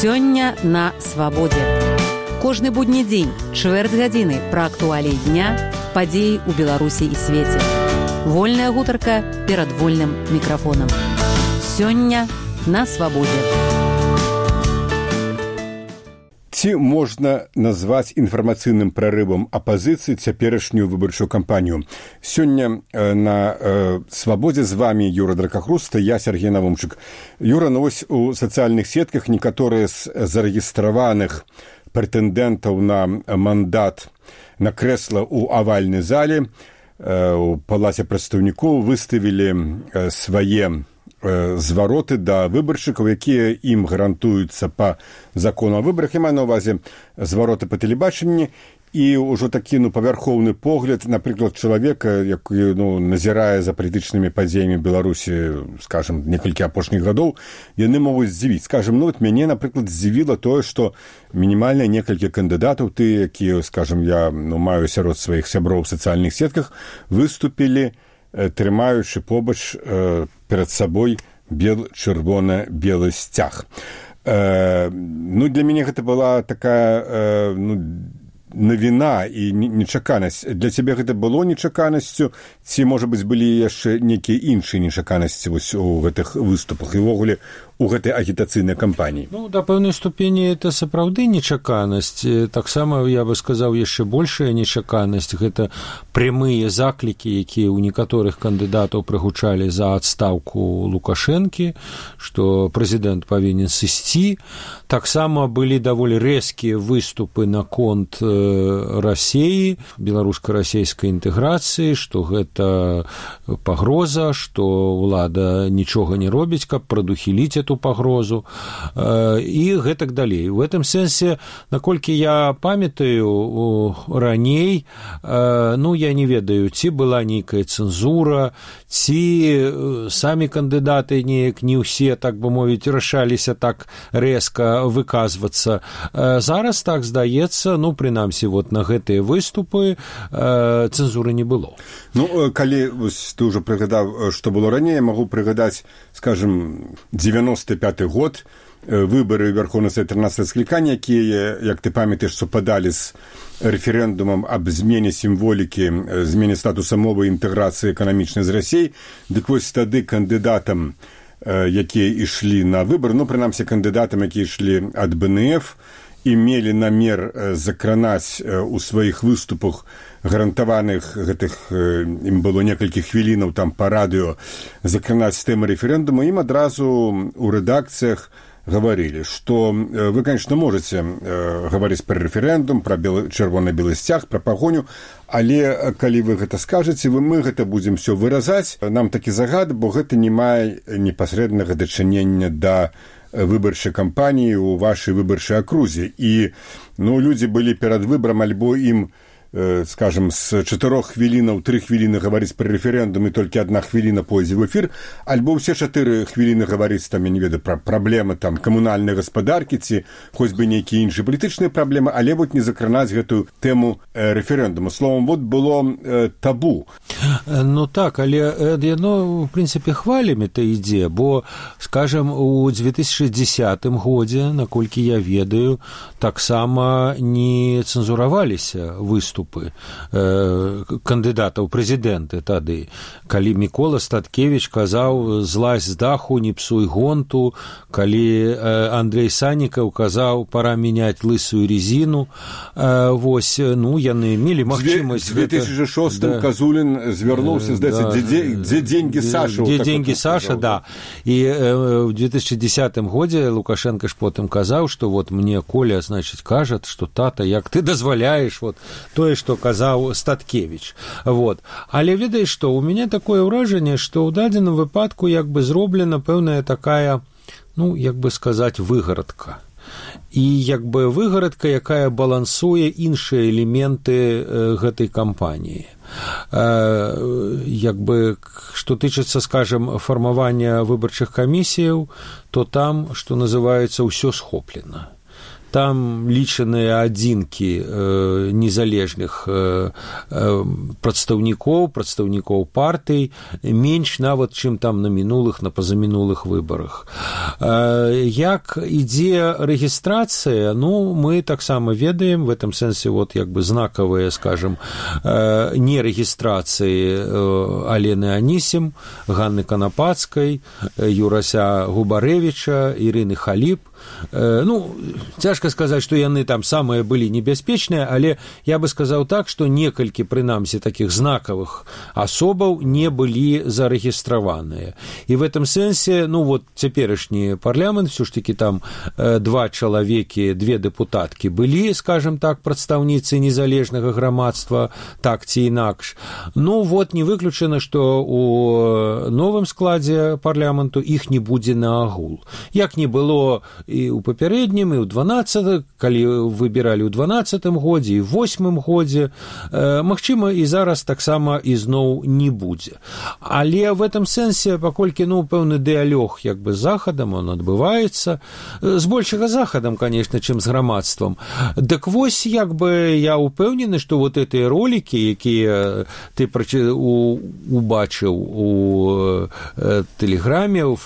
Сёння на свабодзе. Кожны будні дзень, чвэрць гадзіны пра актуаліі дня, падзеі ў Беларусі і свеце. Вольная гутарка перад вольным мікрафонам. Сёння на свабодзе. Ці можна назваць інфармацыйным прарывам апазіцыі цяперашнюю выбарчую кампанію? Сёння на свабодзе з вами Юра Дракахруста, я Сергей Навумчык. Юра, ну вось у сацыяльных сетках некаторыя з зарэгістраваных прэтэндэнтаў на мандат на крэсла ў авальнай зале у палаце прадстаўнікоў выставілі свае звароты да выбаршчыкаў, якія ім гарантуюцца па закону о выбарах. Я маю на ўвазе звароты па тэлебачанні і ўжо такі павярхоўны погляд, напрыклад, чалавека, які назірае за палітычнымі падзеямі Беларусі, скажем, некалькі апошніх гадоў, яны могуць здзівіць. Скажем, мяне, напрыклад, здзівіла тое, што мінімальна некалькі кандыдатаў, тыя, якія, скажем, я маю сярод сваіх сяброў у сацыяльных сетках, выступілі, трымаючы побач перад сабой чырвона-белы сцяг. Для мяне гэта была такая навіна і нечаканасць. Для цябе гэта было нечаканасцю, ці, можа быць, былі яшчэ нейкія іншыя нечаканасці вось у гэтых выступах і ўвогуле у гэтай агітацыйнай кампаніі? Да пэўнай ступені это сапраўды нечаканасць. Таксама, я бы сказаў, яшчэ большая нечаканасць. Гэта прямыя заклікі, якія ў некаторых кандыдатаў прагучалі за адстаўку Лукашэнкі, што прэзідэнт павінен сысці. Таксама былі даволі рэзкія выступы наконт Расіі, беларуска-расійскай інтэграцыі, што гэта пагроза, што ўлада нічога не робіць, каб прадухіліць эту пагрозу і гэтак далей. У гэтым сэнсе, наколькі я памятаю, раней, я не ведаю, ці была нейкая цэнзура, ці самі кандыдаты неяк не ўсе, так бы мовіць, рашаліся так рэзка выказвацца. Зараз, так здаецца, прынамсі, на гэтыя выступы цэнзуры не было. Калі ты ўжо прыгадаў, што было раней, я магу прыгадаць, скажем, 95-й год, выбары Верховнай Сады 13 склікання, якія, як ты памятаеш, супадалі з рэферэндумам аб змене сімволікі, змене статуса мовы і інтэграцыі эканамічнай з Расіяй. Дык вось тады кандыдатам, якія ішлі на выбар, прынамсі кандыдатам, якія ішлі ад БНФ, і мелі намер закранаць у сваіх выступах гарантаваных гэтых, ім было некалькі хвілінаў там па радыё, закранаць тэмы рэферэндуму, ім адразу у рэдакцыях гаварылі, што вы, конечно, можаце гаварыць пра рэферэндум, пра чырвона-белы сцяг, пра пагоню, але калі вы гэта скажаце, мы гэта будзем все выразаць. Нам такі загад, бо гэта не мае непасрэднага дачынення да выбарчай кампаніі ў вашай выбарчай акрузе. І людзі былі перад выбарам, альбо ім, скажем, з 4 хвілінаў 3 хвіліны гаварыць пра рэферэндум і толькі 1 хвіліна пойдзе ў эфір, альбо ўсе 4 хвіліны гаварыць, там, я не ведаю, пра праблемы там камунальнай гаспадаркі ці хоць бы нейкія іншыя палітычныя праблемы, але не закранаць гэтую тэму рэферэндуму. Словом, было табу. Так, але яно, в прынцыпе, хвалямі-то ідзе, бо, скажем, у 2010 годзе, наколькі я ведаю, таксама не цэнзураваліся выступы кандыдатаў прэзідэнты тады, калі Мікола Статкевіч казаў «злазь з даху, не псуй гонту», калі Андрей Саннікаў казаў «пора мяняць лысую резину». Яны мелі магчымасць. В 2006 Казулін звярнуўся, здаецца, «Дзе деньги Саша?» «Дзе деньги Саша», да. І в 2010 годзе Лукашенко ж потым казаў, што мне Коля, значит, кажа, што тата, як ты дазваляеш тое, што казаў Статкевіч. Але ведаеш што, у мяне такое ўражанне, што ў дадзеным выпадку зроблена пэўная такая, як бы сказаць, выгарадка. І выгарадка, якая балансуе іншыя элементы гэтай кампаніі. Што тычыцца, скажем, фармавання выбарчых камісіяў, то там, што называецца, ўсё схоплена. там лічаныя адзінкі незалежных прадстаўнікоў партый, менш нават, чым там на мінулых, на пазамінулых выбарах. Як ідзе рэгістрацыя, ну, мы таксама ведаем, в этом сэнсе вот як бы знакавыя, скажем, нерэгістрацыі Алены Анісім, Ганны Канапацкай, Юрася Губарэвіча, Ірыны Халіп. Ну, цяжка сказаць, што яны там самыя былі небяспечныя, але я бы сказаў так, што некалькі, прынамсі, такіх знакавых асобаў не былі зарэгістраваныя. І в этом сэнсе, ну, вот цяперашні парламент, все ж таки там 2 чалавекі, 2 дэпутаткі былі, скажем так, прадстаўніцы незалежнага грамадства, так ці інакш. Ну, вот не выключана, што у новым складзе парламенту іх не будзе на агул. Як не было і ў папярэднім, і ў 12, калі выбіралі ў 12 годзе, і ў 8 годзе, магчыма, і зараз таксама ізноў не будзе. Але в этом сэнсе, паколькі, ну, пэўны дыалог як бы з захадам, он адбываецца, з большага захадам, конечно, чым з грамадствам. Дык вось, як бы, я упэўнены, што вот гэтыя ролікі, якія ты убачыў у Тэлеграме, у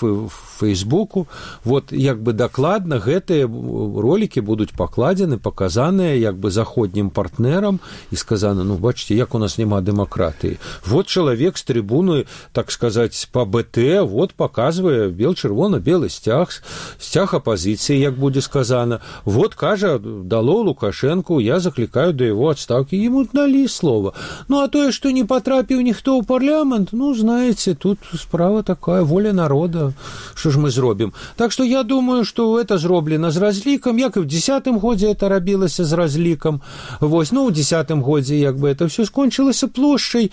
Фейсбуку, вот, як бы, дакладна гэтыя ролікі будуць пакладзены, паказаныя як бы заходнім партнерам і сказана, ну, бачыце, як у нас няма дэмакратыі. Вот чалавек з трыбуны, так сказаць, па БТ, вот паказвае бел-чырвона-белы сцяг апазіцыі, як будзе сказана. Вот, кажа, дало Лукашенку, я заклікаю да яго адстаўкі. Ему далі слова. Ну, а тое, што не патрапіў ніхто ў парламент, ну, знаеце, тут справа такая, воля народа, што ж мы зробім. Так што я думаю, што это зроблена з разлікам, як і в 10-м годзе это рабілася з разлікам. Вось, ну, у 10-м годзе як бы это все скончылася плошчай.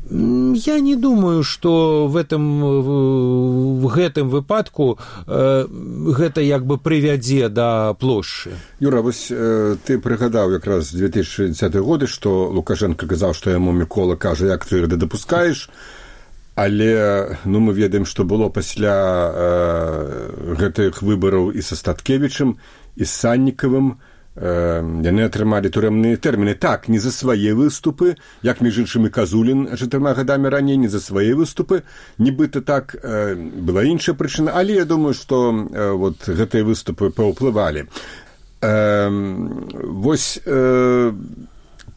Я не думаю, што в гэтым выпадку гэта як бы прывядзе да плошчы. Юра, вось ты прыгадаў якраз 2010 годы, што Лукашенко казаў, што яму Мікола кажа, як ты гэта дапускаеш. Але, ну, мы ведаем, што было пасля гэтых выбараў і са Статкевічам, і з Саннікавым. Яны атрымалі турэмныя тэрміны. Так, не за свае выступы, як, між іншым, і Казулін 4 гадамі раней, не за свае выступы. Нібыта так, была іншая прычына, але я думаю, што вот гэтыя выступы паўплывалі. Вось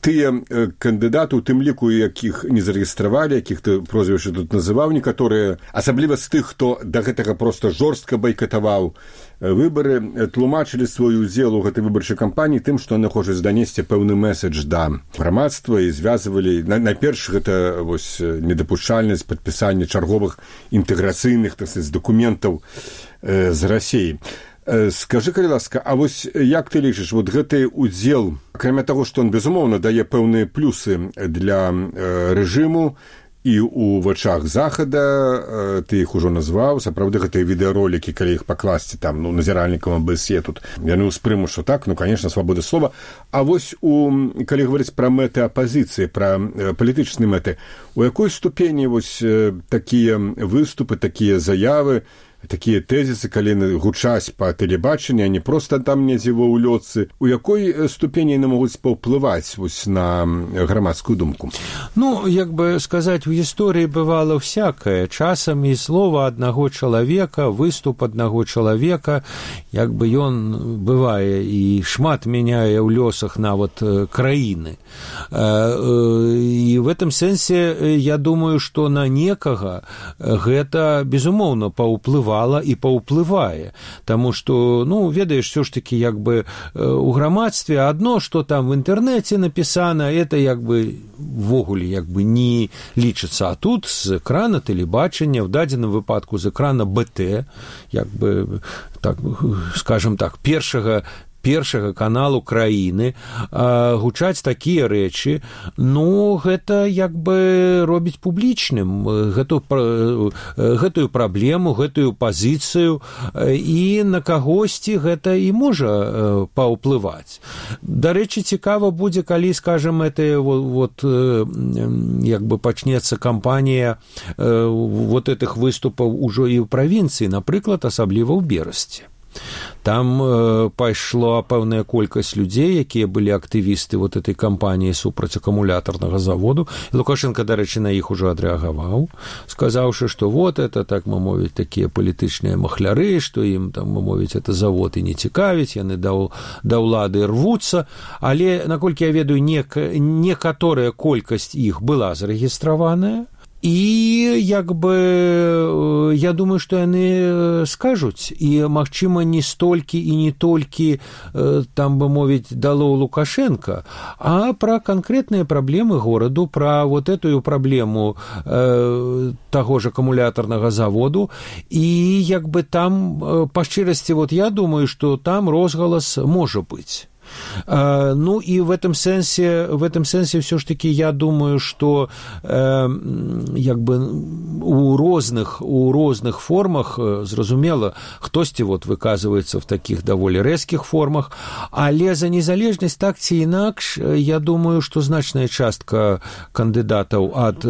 тыя кандыдаты, у тым ліку, якіх не зарэгістравалі, якіх ты прозвішча тут называў, некаторыя, асабліва з тых, хто да гэтага проста жорстка байкатаваў выбары, тлумачылі свой удзел у гэтай выбарчай кампаніі тым, што яны хочуць данесці пэўны месседж да грамадства і звязвалі, найперш, гэта вось недапушчальнасць падпісання чарговых інтэграцыйных, так сказаць, дакументаў з Расіі. Скажы, калі ласка, а вось як ты лічыш, вот гэты удзел, акрамя таго, што он, безумоўна, дае пэўныя плюсы для рэжыму і ў вачах захада, ты іх ужо назваў, сапраўды гэтыя відэаролікі, калі іх пакласці там, ну, назіральнікам АБС тут, яны ўспрымуць, што так, ну, конечно, свабода слова. А вось калі гаварыць пра мэты апазіцыі, пра палітычныя мэты, у якой ступені вось такія выступы, такія заявы, такія тэзісы, калі гучаць па тэлебачанні, а не проста там недзе ва ўлётцы, у якой ступені яны могуць паўплываць вось на грамадскую думку? Ну, як бы сказаць, у гісторыі бывала всякае. Часам і слова аднаго чалавека, выступ аднаго чалавека, як бы ён бывае і шмат мяняе ў лёсах нават краіны. І в этом сэнсе я думаю, што на некага гэта, безумоўна, паўплывае і паўплывае, таму што, ну, ведаеш, все ж таки, як бы у грамадстве адно, што там в інтэрнэце напісана, это як бы ввогуле як бы не лічыцца, а тут з экрана тэлебачання, в дадзеным выпадку з экрана БТ, як бы, так, скажем так, першага каналу краіны гучаць такія рэчы, ну, гэта як бы робіць публічным гэтую праблему, гэтую пазіцыю, і на кагосьці гэта і можа паўплываць. Дарэчы, цікава будзе, калі, скажем, это вот як бы пачнецца кампанія вот этих выступаў ужо і ў правінцыі, напрыклад, асабліва ў Берасці. Там пайшла пэўная колькасць людзей, якія былі актывісты вот этой кампаніі супраць акумулятарнага заводу. І Лукашенко, дарэчы, на іх ужо адрэагаваў, сказаўшы, што вот это, так мы мовіць, такія палітычныя махляры, што ім, там, мы мовіць, это завод і не цікавіць, яны да ўлады рвуцца. Але, наколькі я ведаю, некаторая колькасць іх была зарэгістраваная. І, як бы, я думаю, што яны скажуць, і, магчыма, не столькі і не толькі, там бы мовіць, дало Лукашенко, а пра канкрэтныя праблемы гораду, пра вот эту праблему таго ж акумулятарнага заводу, і, як бы, там, па шчырасці, вот я думаю, што там розгалас можа быць. Ну и в этом сенсе все ж таки я думаю, что як бы у розных формах, зразумела, хтосьці вот выказывается в таких даволі рэзкіх формах, але за незалежнасць так ці інакш, я думаю, что значная частка кандыдатаў ад,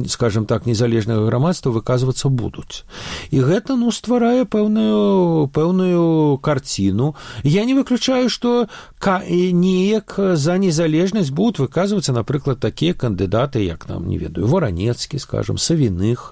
скажем так, незалежнага грамадства выказвацца будуць. І гэта, ну, стварае пэўную карціну. Я не выключаю, что неяк за незалежнасць будуць выказвацца, напрыклад, такія кандыдаты, як, нам, не ведаю, Варанецкі, скажем, Савіных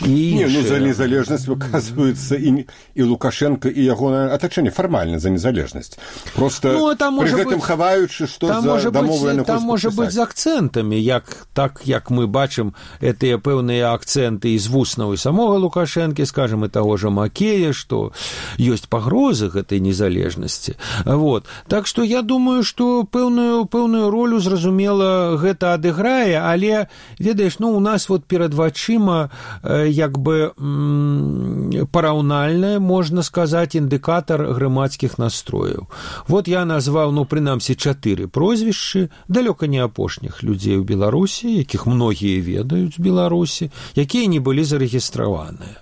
і іншыя. Не, ну, за незалежнасць выказваюцца і Лукашенко, і ягонае атачэнне фармальна за незалежнасць. Просто пры гэтым хаваючы, што за дамовы яны хочуць падпісаць. Там можа быць з акцэнтамі, так як мы бачым гэтыя пэўныя акцэнты з вуснаў і самога Лукашэнкі, скажем, і таго ж Макея, што ёсць пагрозы гэтай незалежнасці. Вот. Так што я думаю, што пэўную ролю, зразумела, гэта адыграе, але, ведаеш, ну, у нас вот перад вачыма як бы параўнальнае, можна сказаць, індыкатар грамадскіх настрояў. Вот я назваў, ну, прынамсі, 4 прозвішчы, далёка не апошніх людзей у Беларусі, якіх многія ведаюць у Беларусі, якія не былі зарэгістраваныя.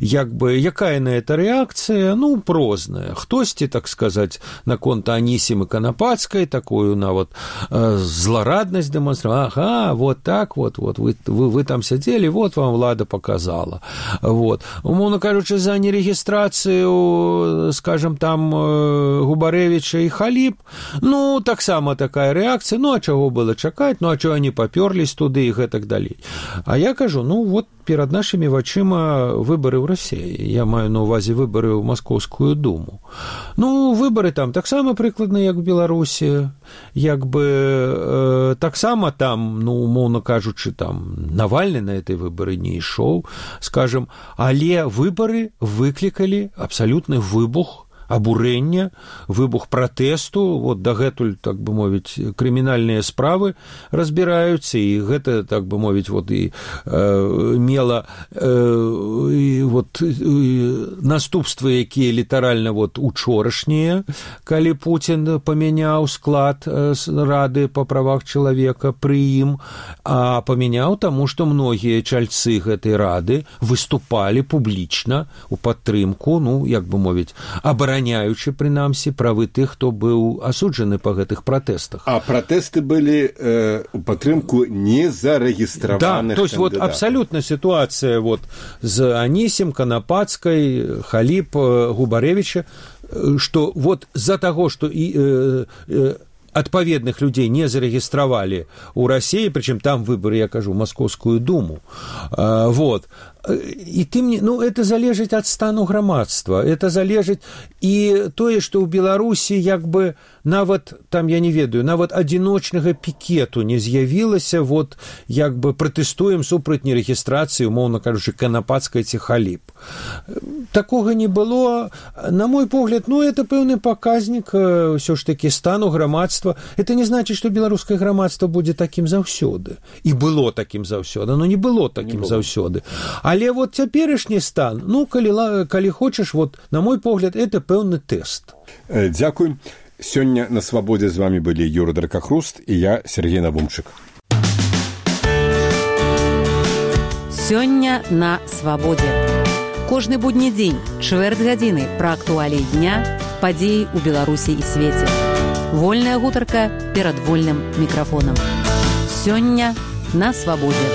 Як бы, якая на это рэакцыя? Ну, розная. Хтосьці, так сказаць, наконт Анісімы Канапацкай, такую нават злараднасць дэманстравала. Ага, вот так вот, вы там сядзелі, вот вам ўлада показала. Вот. Умоўна кажучы, за нерэгістрацыю, скажем, там, Губарэвіча і Халіп, ну, таксама такая рэакцыя, ну, а чаго было чакаць, ну, а чаго они папёрлись туды і гэтак далей. А я кажу, ну, вот перад нашымі вачыма выборы ў Расіі. Я маю на ўвазе выборы ў Маскоўскую думу. Ну, выборы там таксама прыкладна, як у Беларусі. Як бы таксама там, ну, умоўна кажучы, там Навальны на этой выборы не ішоў, скажем, але выборы выклікалі абсалютны выбух абурэння, выбух пратэсту, вот дагэтуль, так бы мовіць, крымінальныя справы разбіраюцца, і гэта, так бы мовіць, вот і мела вот наступствы, якія літаральна вот учорашнія, калі Пуцін памяняў склад Рады па правах чалавека пры ім, а памяняў таму, што многія чальцы гэтай Рады выступалі публічна у падтрымку, ну, як бы мовіць, абараняючы, прынамсі, правы тых, хто быў асуджаны па гэтых пратэстах. А пратэсты былі у падтрымку незарэгістраваных кандыдатаў. Да, то есть вот абсолютно ситуация вот з Анісім, Канапацкай, Халіп, Губарэвіча, што вот з-за таго, што адпаведных людзей не зарэгістравалі ў Расіі, прычым там выборы, я кажу, Маскоўскую думу. Вот. І тым не, ну, это залежыць ад стану грамадства, это залежыць і тое, што ў Беларусі як бы нават, там, я не ведаю, нават адзіночнага пікету не з'явілася, вот, як бы пратэстуем супраць нерэгістрацыі, умоўна кажучы, Канапацкай ці Халіп. Такога не было. На мой погляд, ну, это пэўны паказнік ўсё ж такі стану грамадства. Это не значыць, што беларускае грамадства будзе такім заўсёды. І было такім заўсёды, но не было такім заўсёды. Але вот цяперашні стан, ну, калі хочаш, вот, на мой погляд, это пэўны тэст. Дзякуй. Сёння на Свабодзе з вами былі Юра Дракахруст і я, Сергей Навумчык. Сёння на Свабодзе. Кожны будні дзень, чвэрць гадзіны пра актуаліі дня, падзеі ў Беларусі і свеце. Вольная гутарка перад вольным мікрафонам. Сёння на Свабодзе.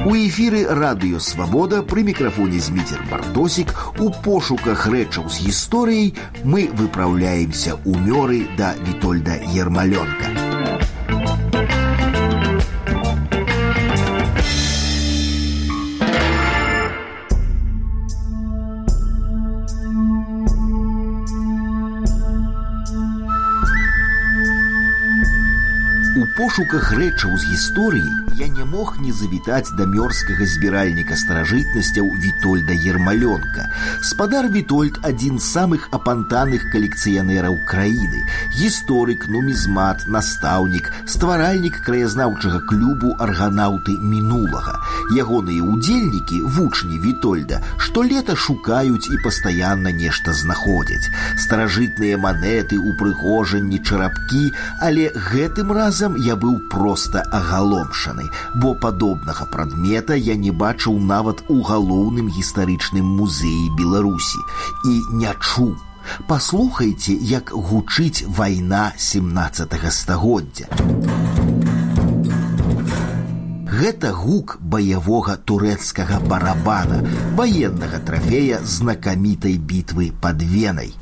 У эфіры радыё «Свабода» пры мікрафоне Зміцер Бартосік. У пошуках рэчаў з гісторыяй мы выпраўляемся ў мёры да Вітольда Ермалёнка. У пошуках рэчаў з гісторыі я не мог не завітаць да мёрскага збіральніка старажытнасцяў Вітольда Ермалёнка. Спадар Вітольд – адзін з самых апантаных калекцыянераў краіны. Гісторык, нумізмат, настаўнік, стваральнік краязнаўчага клубу «Арганаўты мінулага». Ягоныя ўдзельнікі, вучні Вітольда, штолета шукаюць і пастаянна нешта знаходзяць. Старажытныя манеты, упрыгожанні, чарапкі, але гэтым разам я быў проста агаломшаны, бо падобнага прадмета я не бачыў нават у галоўным гістарычным музеі Беларусі і не чуў. Паслухайце, як гучыць вайна 17-га стагоддзя. Гэта гук баявога турэцкага барабана, ваеннага трафея знакамітай бітвы пад Венай.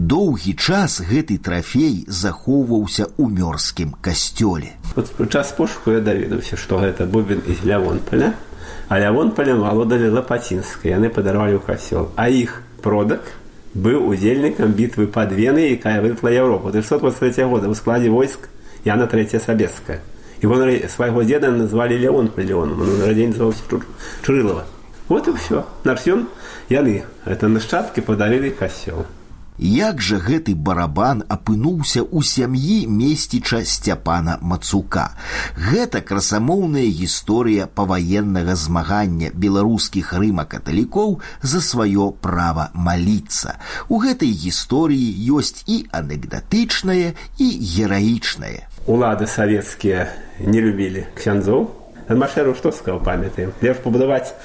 Доўгі час гэты трафей захоўваўся ў мёрскім касцёле. Вот у час пошуку я даведаўся, што гэта бубен з Лявонполя, а Лявонполем валодалі Лапацінскай, яны падарвалі ў касцёл. А іх продак быў удзельнікам бітвы пад Венай, якая вырвала Еўропу 1623 года ў складзе войск Яна III Сабецкая. І вон свайго дзеда назвалі Лявонполь Леоном, он нарадзень называўся Чурылава. Вот і ўсё. Наш ён, яны, гэта нашчадкі, падарылі касцёл. Як жа гэты барабан апынуўся ў сям'і месціча Сцяпана Мацука? Гэта красамоўная гісторыя паваеннага змагання беларускіх рыма-каталікоў за сваё права маліцца. У гэтай гісторыі ёсць і анекдатычнае, і гераічнае. Улады савецкія не любілі ксяндзоў. Адмашэру што сказаў, памятаем? Лепш пабудаваць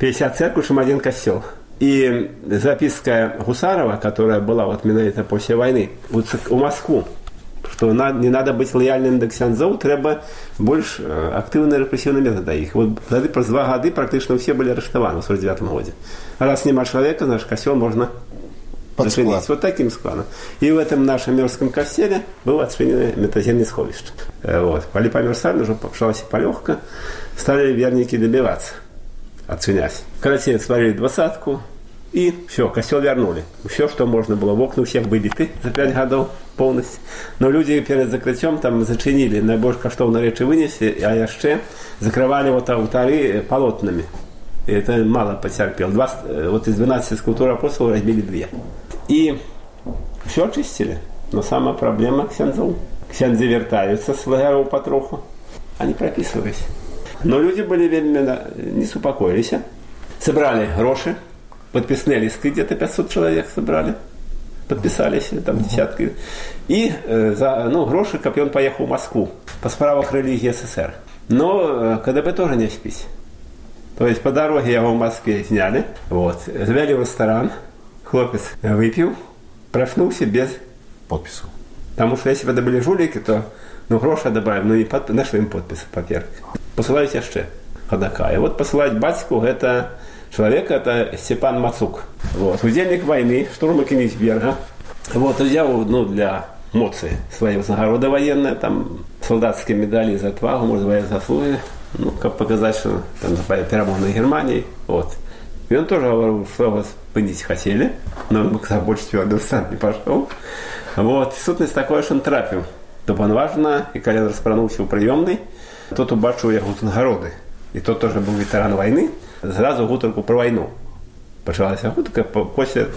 50 церкваў, чым адзін касцёл. И записка Гусарова, которая была вот менавіта после войны, у Москву, что не надо быть лояльным до ксяндзоў, треба больш актыўныя рэпрэсіўныя метады іх. Вот праз 2 гады практычна ўсе былі арыштаваны ў 49 годзе. Раз няма чалавека, наш касцёл можна зачыніць вот таким складом. И в этом нашем мёрском касцеле было адчынена метаземне сховішча. Вот. Калі памёр Сталін, ужо пачалася палёгка, сталі вернікі дабівацца, адчыняць. Карацей, сварили 20-ку, и все, костел вернули. Все, что можно было. В окна у всех выбиты за 5 годов полностью. Но люди перед закрытием там зачинили, найбольш каштоўныя рэчы вынесли, а яшчэ закрывали вот алтары полотнами. И это мало потерпел. Вот из 12 скульптур апостолов разбили 2. И все очистили. Но самая проблема ксяндзоў. Ксяндзы вертаются с лагеров потроху. Они прописывались. Но люди были вельми не супокоились. Собрали гроши, подписные листы, где-то 500 человек собрали, подписались, там десятки. И за гроши, как он поехал в Москву по справах религии СССР. Но КДБ тоже не спись. То есть по дороге его в Москве сняли, вот, завели в ресторан, хлопец выпил, проснулся без подпису. Потому что если бы это были жулики, то гроши добавим, но не нашли им подпись, по-первых. Посылают яшчэ ходака. И вот посылать батьку, это человек, это Степан Мацук. Вот. Удельник войны, штурма Кенигсберга. Вот, взял, для моцы свои нагороды военные, там солдатские медали за отвагу, может, военные заслуги, как показать, что там перемог на Германии. Вот. И он тоже говорил, что его спынить хотели, но он больше твердо сам не пошел. Вот. Сутность такое, что он трапил до Панважна, и когда распранулся у приемной, тот убачил его нагороды. И тот тоже был ветеран войны. Сразу гутарку про войну. Почалась гутарка после,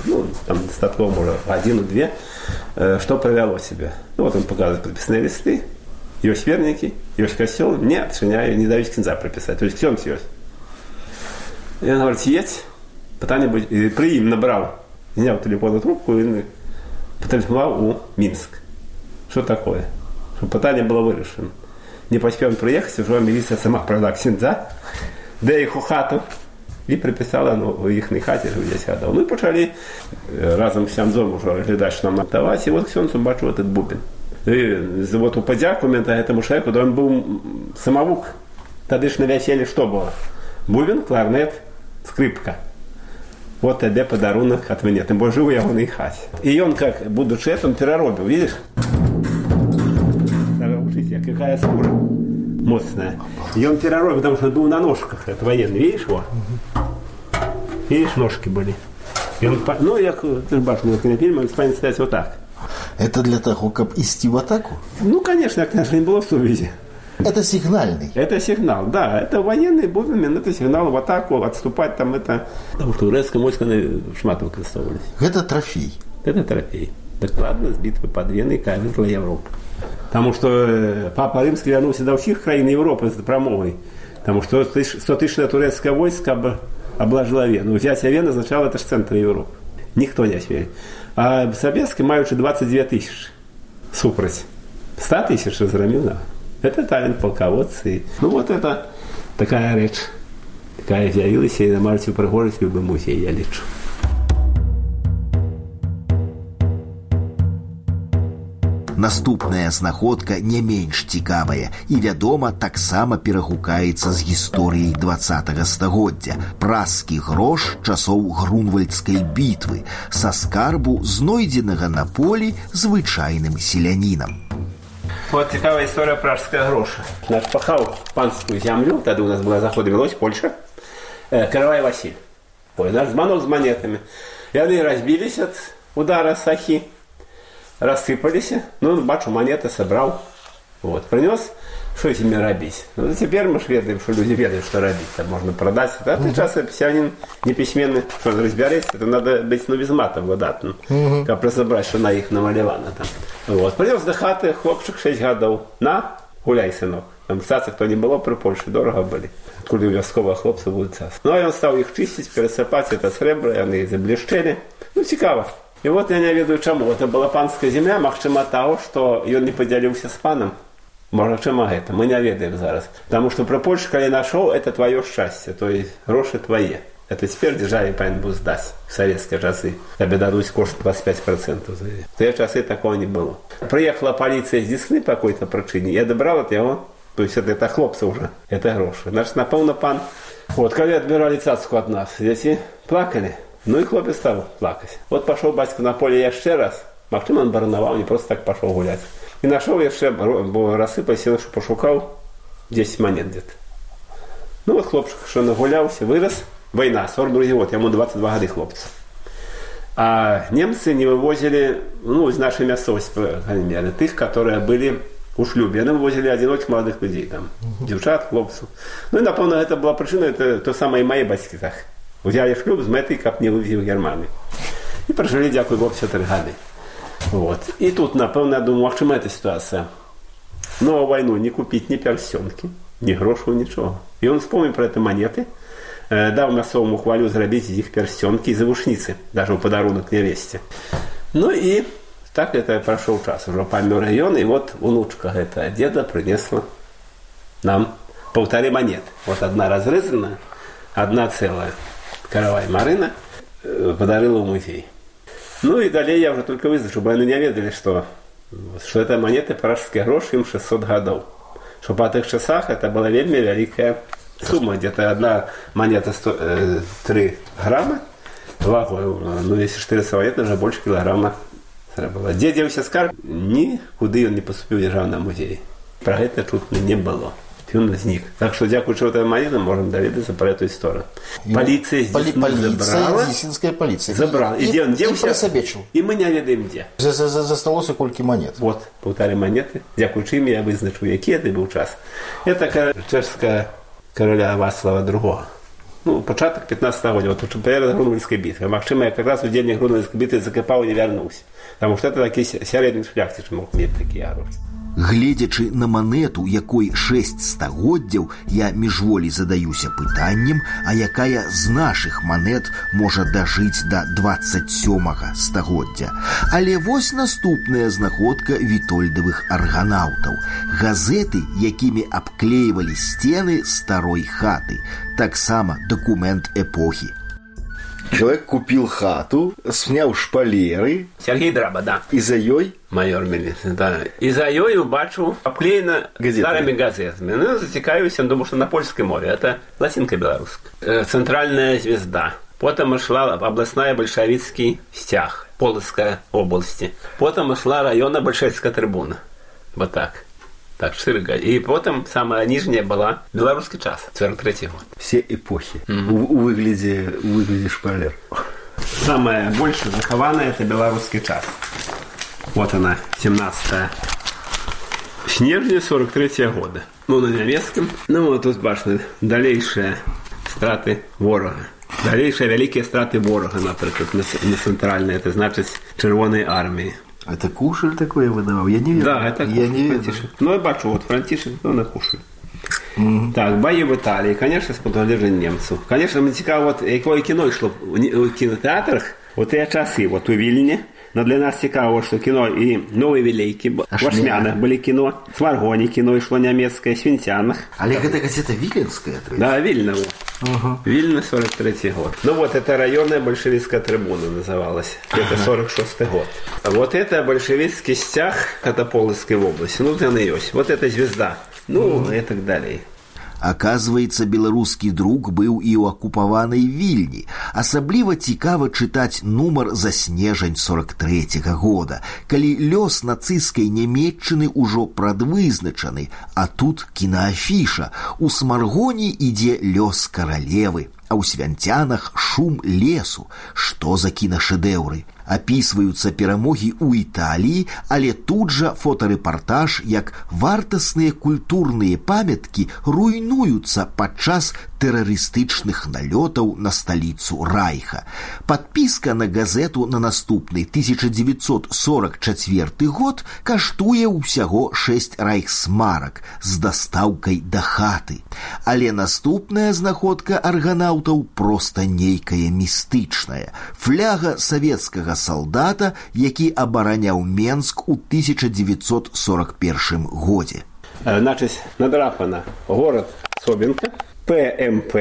там, достатково, может, 1-2, что провело себя. Вот он показывает подписные листы, есть верники, есть костел, не отчиняю, не дают кінза прописать. То есть ксёндз есть. И он говорит, есть, питание будет. И при им набрал, снял телефонную трубку и потелефонував у Минск. Что такое? Чтобы питание было вирішено. Не поспел приехать, уже милиция сама провела ксендза, де их у хату, і припісала у їхній хаті жив 10 гадоў. Мы пачалі разам з ксяндзом ужо глядаць, што нам аддаваць, і вот ксёндз убачыў этот бубен. І вот у падзяку гэтаму чалавеку, да ён быў самавук. Тады ж на вяселлі што было? Бубен, кларнет, скрипка. Вот тебе подарунок от меня. Тым больш жыў у ягонай хаце. І ён, как будучы этим, пераробіў, видишь? Учите, какая скура моцная. И он переробил, потому что он был на ножках. Это военный, видишь его? Видишь, ножки были. И он, ну, я, ты же бачишь, на фильме, он станет стоять вот так. Это для того, как идти в атаку? Ну, конечно, не было в сувязи. Это сигнальный? Это сигнал, да. Это военный бубен, это сигнал в атаку, отступать там это... Потому что турецкое войско шмат выкористовывались. Это трофей? Это трофей. Докладно с битвы под Веной кавезла Европа. Потому что Папа Римский вернулся до всех краин Европы с промовой. Потому что 100-тысячное турецкое войско обложило Вену. Взятие Вены означало, это же центр Европы. Никто не осмелит. А советские маючи 22 тысячи. Супроть 100 тысяч разгромил. Это талент полководца. Ну вот это такая речь. Такая з'явилась и на Марте Пригожець в любом музее, я лечу. Наступная знаходка не менш цікавая і, вядома, таксама перагукаецца з гісторыяй 20-го стагоддзя. Празскі грош часоў Грунвальдскай бітвы са скарбу, знойдзенага на полі звычайным селянінам. Вот цікавая история пражского гроша. Наш пахал панскую землю, тогда у нас была заход велась Польша, Каравай Василь. Ой, наш звонок с монетами. И они разбились от удара сахи, рассыпались. Ну, бачу, монеты собрал. Вот, принес, что с ними робить. Ну, теперь мы ведаем, что люди ведают, что робить. Там можно продать. А ты часто писянин неписьменный, что он разбирается, это надо быть, ну, без мата владатным. Как разобрать, что на их намалевано там. Вот, принес до хаты, хлопчик 6 гадоў. На, гуляй, сынок. Там цацы, кто не было при Польше, дорого были. Откуда у вясковых хлопцев будут цацы. Ну, и он стал их чистить, пересыпать это сребро, и они заблещели. Ну, цікаво. И вот я не ведаю, чему. Это была панская земля, магчыма того, что он не поделился с паном. Магчыма это, мы не ведаем зараз. Потому что при Польше, когда нашел, это твое счастье, то есть гроши твои. Это теперь державе павінен быў здаць в советские часы. Тебе дадуць кошт 25%. В те часы такого не было. Приехала полиция с Десны по какой-то причине, я добрал от его, то есть это хлопцы уже, это гроши. Значит, напевно, пан, вот, когда отбирали цацку от нас, дети плакали. Ну и хлопец стал плакать. Вот пошел батька на поле еще раз. Магчыма, он барановал, не просто так пошел гулять. И нашел еще, бо рассыпался, что пошукал 10 монет где-то. Ну вот хлопчик, что нагулялся, вырос. Война, 42 год, ему 22 года хлопца. А немцы не вывозили, ну, из нашей мясцовости, по крайней мере, тех, которые были у шлюбе. Они вывозили одиноких молодых людей, там, девчат, хлопцев. Ну и, напевно, это была причина, это то самое и мои батьки так. Взяли шлюб с метой, как не вывезли в Германию. И прожили, дякую Богу, 4 года. Вот. И тут, напевно, я думаю, в чем эта ситуация? Но войну не купить ни перстенки, ни грошей, ничего. И он вспомнил про эти монеты, дал мясовому хвалю зрабіць з іх перстенки и завушницы, даже в подарунок невесте. Ну и так это прошел час, уже помер район, и вот внучка этого деда принесла нам 1,5 монет. Вот одна разрезанная, одна целая. Каравай Марина подарила в музей. Ну и далее я уже только вызначу, чтобы они не ведали, что это монеты пражские гроши, им 600 годов. Что по тех часах это была вельми великая сумма. Где-то одна монета 3 грамма вагой. Ну, если 400 монет, уже больше килограмма было. Где делался скарб, никуда он не поступил в державный музей. Про это тут не было. Он возник. Так что, дякуючи этой монете, можем доведаться про эту историю. Полиция здесь забрала. Десинская полиция. Забрала. И где он делся? И мы не ведаем где. Засталося кольки монет. Вот, 1,5 монеты. Дякуючи им я визначу, який это был час. Это чешская короля Вацлава II. Ну, початок 15-го года, вот перед Грунвальдской битвой. Магчыма, я как раз в день Грунвальдской битвы закопал и не вернулся. Потому что это такие середний шляхтич мог иметь такие оружия. Гледзячы на манету, якой 6 стагоддзяў, я міжволі задаюся пытаннем, а якая з нашых манет можа дажыць да 27 стагоддзя. Але вось наступная знаходка вітольдавых арганаўтаў. Газеты, якімі абклеивалі сцены старой хаты. Таксама документ эпохи. Человек купил хату, снял шпалеры. Сергей Драба, да. И за ёй? Майор милиции, да. И за ёй убачу обклеено старыми газетами. Ну, затекаюсь, думаю, что на Польском море. Это латинка белорусская. Центральная звезда. Потом шла областная большевистский стяг, Полоцкая области. Потом шла районная большевистская трибуна. Вот так. Так, 4 года. И потом самая нижняя была «Белорусский час», 43-й год. Все эпохи у выгляде шпалер. Самая больше захованная – это «Белорусский час». Вот она, 17 снежня 43-го года. Ну, на немецком. Ну, вот тут башня. Дальнейшие страты ворога. Дальнейшие великие страты ворога, например, на центральной. Это значит Червоной армии. Это Кушель такое выдавал? Я не верю. Да, это я не Франтишек. Ну, я бачу, вот Франтишек, ну, на Кушель. Так, бои в Италии, конечно, с подвержением немцев. Конечно, мне цікаво, вот, якое кіно йшло в кінотеатрах, вот я часы, вот у Вильне. Но для нас цікаво, что кино и Новые Великие, в Ашмянах были кино, в Сморгоне кино шло немецкое, в Свинтянах. Але это газета Виленская? Да, Вильна. Вильна, 43-й год. Ну вот, это районная большевистская трибуна называлась. Это 46-й год. Вот это большевистский стяг, это Полоцкой области. Ну, там и есть. Вот это звезда. Ну, и так далее. Аказваецца, беларускі друк быў і ў акупаванай Вільні. Асабліва цікава чытаць нумар за снежань 43-го года, калі лёс нацысцкай Нямецчыны ўжо прадвызначаны, а тут кінаафіша. У Смаргоне ідзе лёс каралевы, а ў Свянцянах шум лесу. Што за кінашэдэўры? Апісваюцца перамогі ў Італіі, але тут жа фотарэпартаж, як вартасныя культурныя памяткі руйнуюцца падчас тэрарыстычных налётаў на сталіцу Райха. Падпіска на газету на наступны 1944 год каштуе ўсяго 6 райхсмарак з дастаўкай да хаты. Але наступная знаходка арганаўтаў проста нейкая містычная. Фляга савецкага солдата, які абараняў Менск у 1941 годзе. Значит, надрапано город Собинка, ПМП,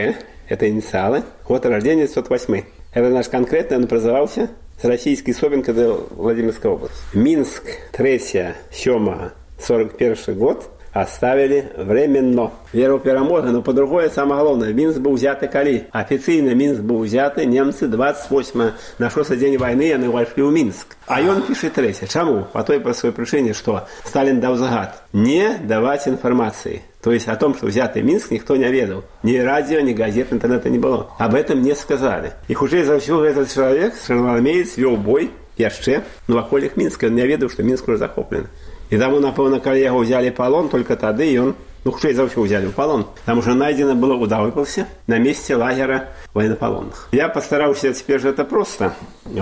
это инициалы, год рождения 1908. Это наш конкретно, он образовался с российской Собинка до Владимирской области. Минск, 3-7, 41 год оставили временно. Веру перамоги, но по-другому самое главное. Минск был взят калі. Официально Минск был взят, немцы 28 на 6-й день войны они вошли в Минск. А он пишет 3. Чему? По той простой причине, что Сталин дал загад не давать информации. То есть о том, что взятый Минск, никто не ведал. Ни радио, ни газет, интернета не было. Об этом не сказали. И хуже за все этот человек, червоноармеец, вел бой яшчэ, в околях Минска. Он не ведал, что Минск уже захоплен. И там, напевно, коли его взяли в полон, только тогда и он, хуже за все взяли в полон. Там уже найдено было удавывался на месте лагеря военнополонных. Я постарался теперь же это просто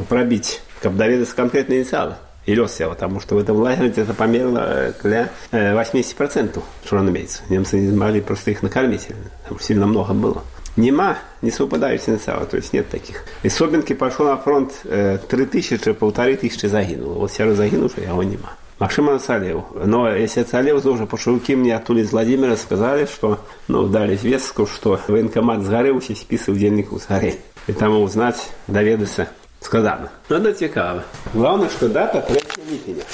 пробить, как доведаться конкретные инициалы. И лёс я, потому что в этом лагере это померло для 80% червоноармейцев. Немцы не могли просто их накормить. Там сильно много было. Нема, не совпадают инициалы, то есть нет таких. Из Собинки пошел на фронт 3500 загинуло. Вот все загинувшие, а его нема. Максим оцалел. Но если оцалел, то уже пошелки мне оттуда из Владимира сказали, что, дали известку, что военкомат сгорел, списы в дневнику сгорели. И там узнать, доведаться складно. Это цікаво. Главное, что дата 3 липня,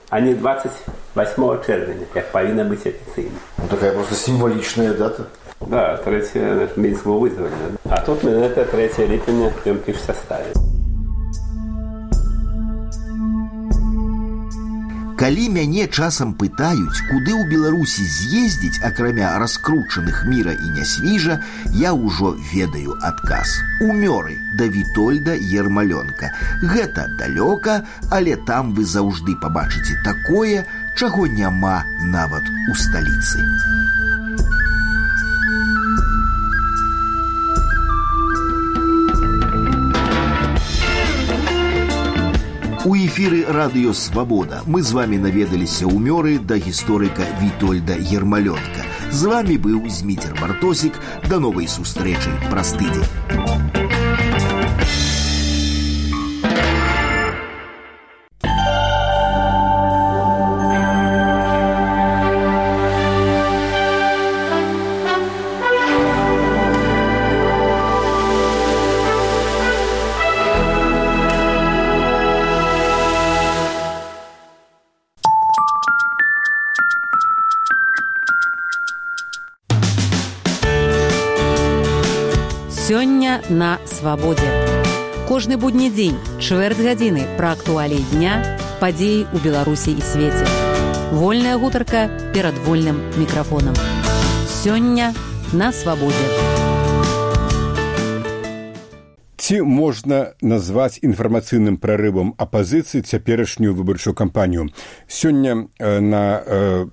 а не 28 червня, как повинна быть официально. Такая просто символичная дата. Да, 3 Минск был вызван. А тут мы это 3 липня прям пишет составе. Калі мяне часам пытаюць, куды ў Беларусі з'ездзіць, акрамя раскручаных міра і нясвіжа, я ўжо ведаю адказ. У Мёры да Вітольда Ермалёнка. Гэта далёка, але там вы заўжды пабачыце такое, чаго няма нават у сталіцы. У эфіры радыё Свабода мы з вами наведаліся ў мёры да гісторыка Вітольда Ермалёнка. З вами быў Зміцер Бартосік. Да новай сустрэчы праз тыдзень. Сёння на свабодзе. Кожны будні дзень, чвэрць гадзіны пра актуаліі дня, падзеі ў Беларусі і свеце. Вольная гутарка перад вольным мікрафонам. Сёння на свабодзе. Ці можна назваць інфармацыйным прарывам апазіцыі цяперашнюю выбарчую кампанію? Сёння на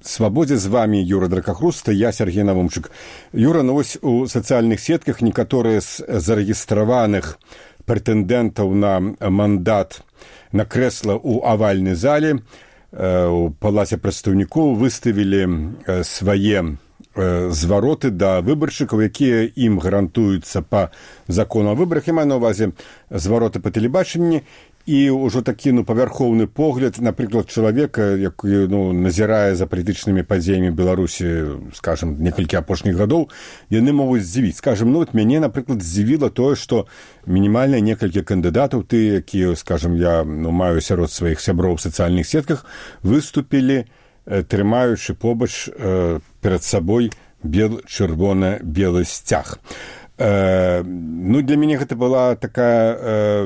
свабодзе з вами Юра Дракахруста, я Сергей Навумчык. Юра, ну вось у сацыяльных сетках некаторыя з зарэгістраваных прэтэндэнтаў на мандат на крэсла ў авальнай зале у палаце прадстаўнікоў выставілі свае звароты да выбаршчыкаў, якія ім гарантуюцца па закону о выбарах. Я маю на ўвазе звароты па тэлебачанні і ўжо такі павярхоўны погляд, напрыклад, чалавека, які назірае за палітычнымі падзеямі Беларусі, скажам, некалькі апошніх гадоў, яны могуць здзівіць. Скажам, мяне, напрыклад, здзівіла тое, што мінімальна некалькі кандыдатаў, ты, якія, скажам, я маю сярод сваіх сяброў в сацыяльных сетках, выступілі трымаючы побач перад сабой чырвона-белы сцяг. Для мяне гэта была такая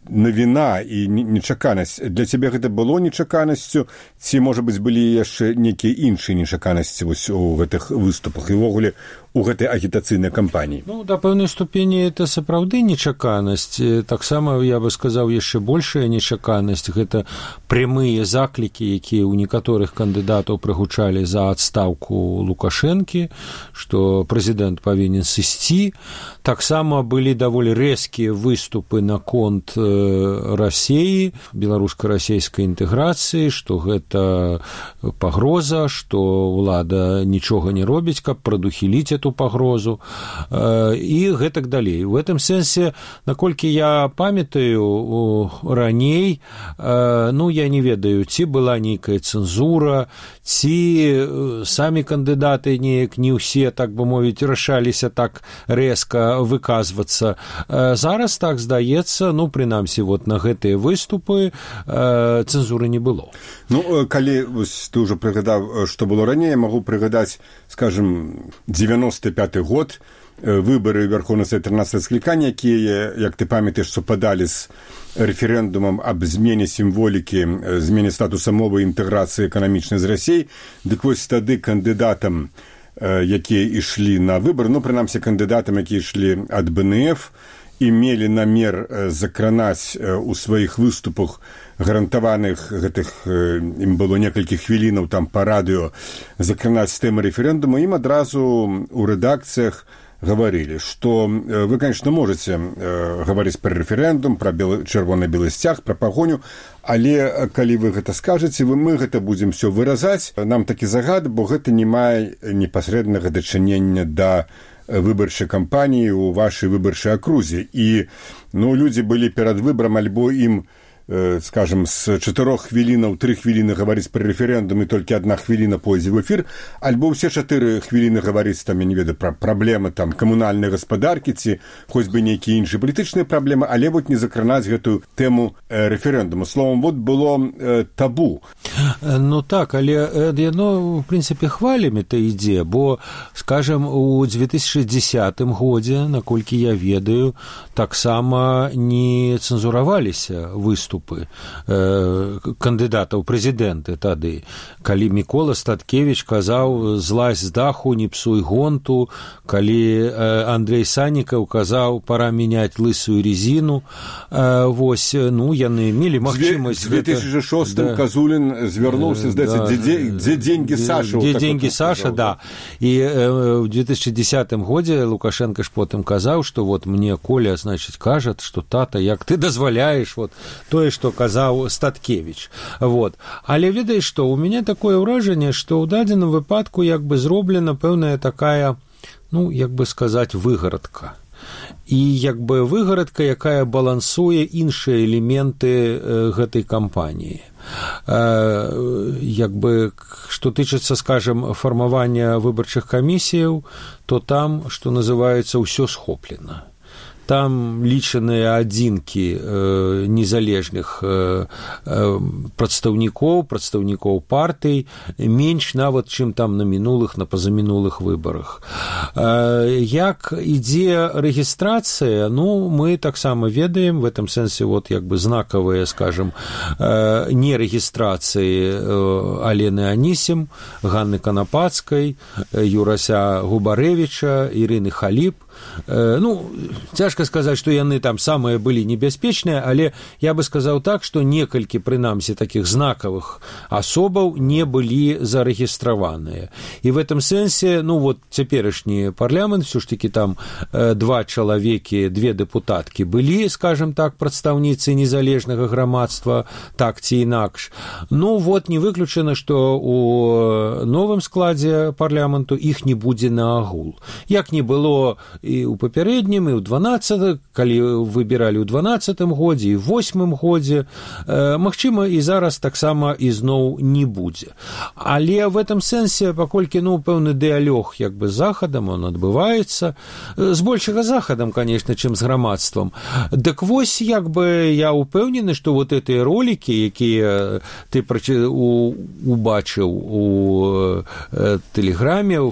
навіна і нечаканасць. Для цябе гэта было нечаканасцю, ці, можа быць, былі яшчэ нейкія іншыя нечаканасці вось у гэтых выступах і ўвогуле у гэтай агітацыйнай кампаніі? Да пэўнай ступені это сапраўды нечаканасць. Таксама, я бы сказаў, яшчэ большая нечаканасць. Гэта прямыя заклікі, якія ў некаторых кандыдатаў прагучалі за адстаўку Лукашэнкі, што прэзідэнт павінен сысці. Таксама былі даволі рэзкія выступы наконт Расіі, беларуска-расійскай інтэграцыі, што гэта пагроза, што ўлада нічога не робіць, каб прадухіліць эту пагрозу і гэтак далей. У гэтым сэнсе, наколькі я памятаю, раней, я не ведаю, ці была нейкая цэнзура, ці самі кандыдаты неяк не ўсе, так бы мовіць, рашаліся так рэзка выказвацца. Зараз, так здаецца, прынамсі, на гэтыя выступы цэнзуры не было. Калі ты ўжо прыгадаў, што было раней, я магу прыгадаць, скажем, 95-й год, выборы Верховного Совета 13 скликания, якія, як ты памятаеш, супадалі з рэферэндумам аб змене сімволікі, змене статуса мовы і інтэграцыі эканамічнай з Расіяй. Дык вось тады кандыдатам, якія ішлі на выбор, прынамсі кандыдатам, якія ішлі ад БНФ, і мелі намер закранаць у сваіх выступах гарантаваных гэтых, ім было некалькі хвілінаў там па радыё, закранаць тэмы рэферэндуму, ім адразу ў рэдакцыях гаварылі, што вы, конечно, можете гаварыць пра рэферэндум, пра чырвона-белы сцяг, пра пагоню, але калі вы гэта скажаце, мы гэта будзем все выразаць. Нам такі загад, бо гэта не мае непасрэднага дачынення да выбарчай кампаніі ў вашай выбарчай акрузе. І людзі былі перад выбарам, альбо ім, скажем, з 4 хвілінаў 3 хвіліны гаварыць пра рэферэндум і толькі 1 хвіліна пойдзе ў эфір, альбо ўсе 4 хвіліны гаварыць, там, я не ведаю, пра праблемы там камунальнай гаспадаркі ці хоць бы нейкія іншыя палітычныя праблемы, але не закранаць гэтую тэму рэферэндуму. Словом, было табу. Так, але яно, в прынцыпе, хвалямі-то ідзе, бо, скажем, у 2010 годзе, наколькі я ведаю, таксама не цэнзураваліся выступы кандыдатаў прэзідэнты тады, калі Мікола Статкевіч казаў «злазь з даху, не псуй гонту», калі Андрей Саннікаў казаў «пора мяняць лысую резину». Яны мелі магчымасць... В 2006-м Казулін звярнуўся, здаецца, «Дзе деньги Саша?» «Дзе деньги Саша», да. І в 2010 годзе Лукашенко ж потым казаў, што мне Коля, значит, кажа, што тата, як ты дазваляеш тое тое, што казаў Статкевіч. Вот. Але ведаеш што, у мяне такое ўражанне, што ў дадзеным выпадку як бы зроблена пэўная такая, ну, як бы сказаць, выгарадка. І як бы выгарадка, якая балансуе іншыя элементы гэтай кампаніі. Як бы, што тычыцца, скажем, фармавання выбарчых камісіяў, то там, што называецца, ўсё схоплена. Там лічаныя адзінкі незалежных прадстаўнікоў партый, менш нават, чым там на мінулых, на пазамінулых выбарах. Як ідзе рэгістрацыя, ну, мы таксама ведаем, в этом сэнсе, вот, як бы знакавыя, скажем, не рэгістрацыі Алены Анісім, Ганны Канапацкай, Юрася Губарэвіча, Ірыны Халіп. Ну, цяжка сказаць, што яны там самыя былі небяспечныя, але я бы сказаў так, што некалькі, прынамсі, такіх знакавых асобаў не былі зарэгістраваныя. І в этом сэнсе, ну, вот цяперашні парламент, все ж таки там 2 чалавекі, 2 дэпутаткі былі, скажем так, прадстаўніцы незалежнага грамадства, так ці інакш. Ну, вот не выключана, што у новым складзе парламенту іх не будзе на агул. Як не было і ў папярэднім, і ў 12, калі выбіралі ў 12 годзе, і ў 8 годзе, магчыма, і зараз таксама ізноў не будзе. Але в этом сэнсе, паколькі, ну, пэўны дыялог, як бы, з захадам, он адбываецца, збольшага захадам, конечно, чым з грамадствам. Дык вось, як бы, я ўпэўнены, што вот гэтыя ролікі, якія ты убачыў у Тэлеграме, у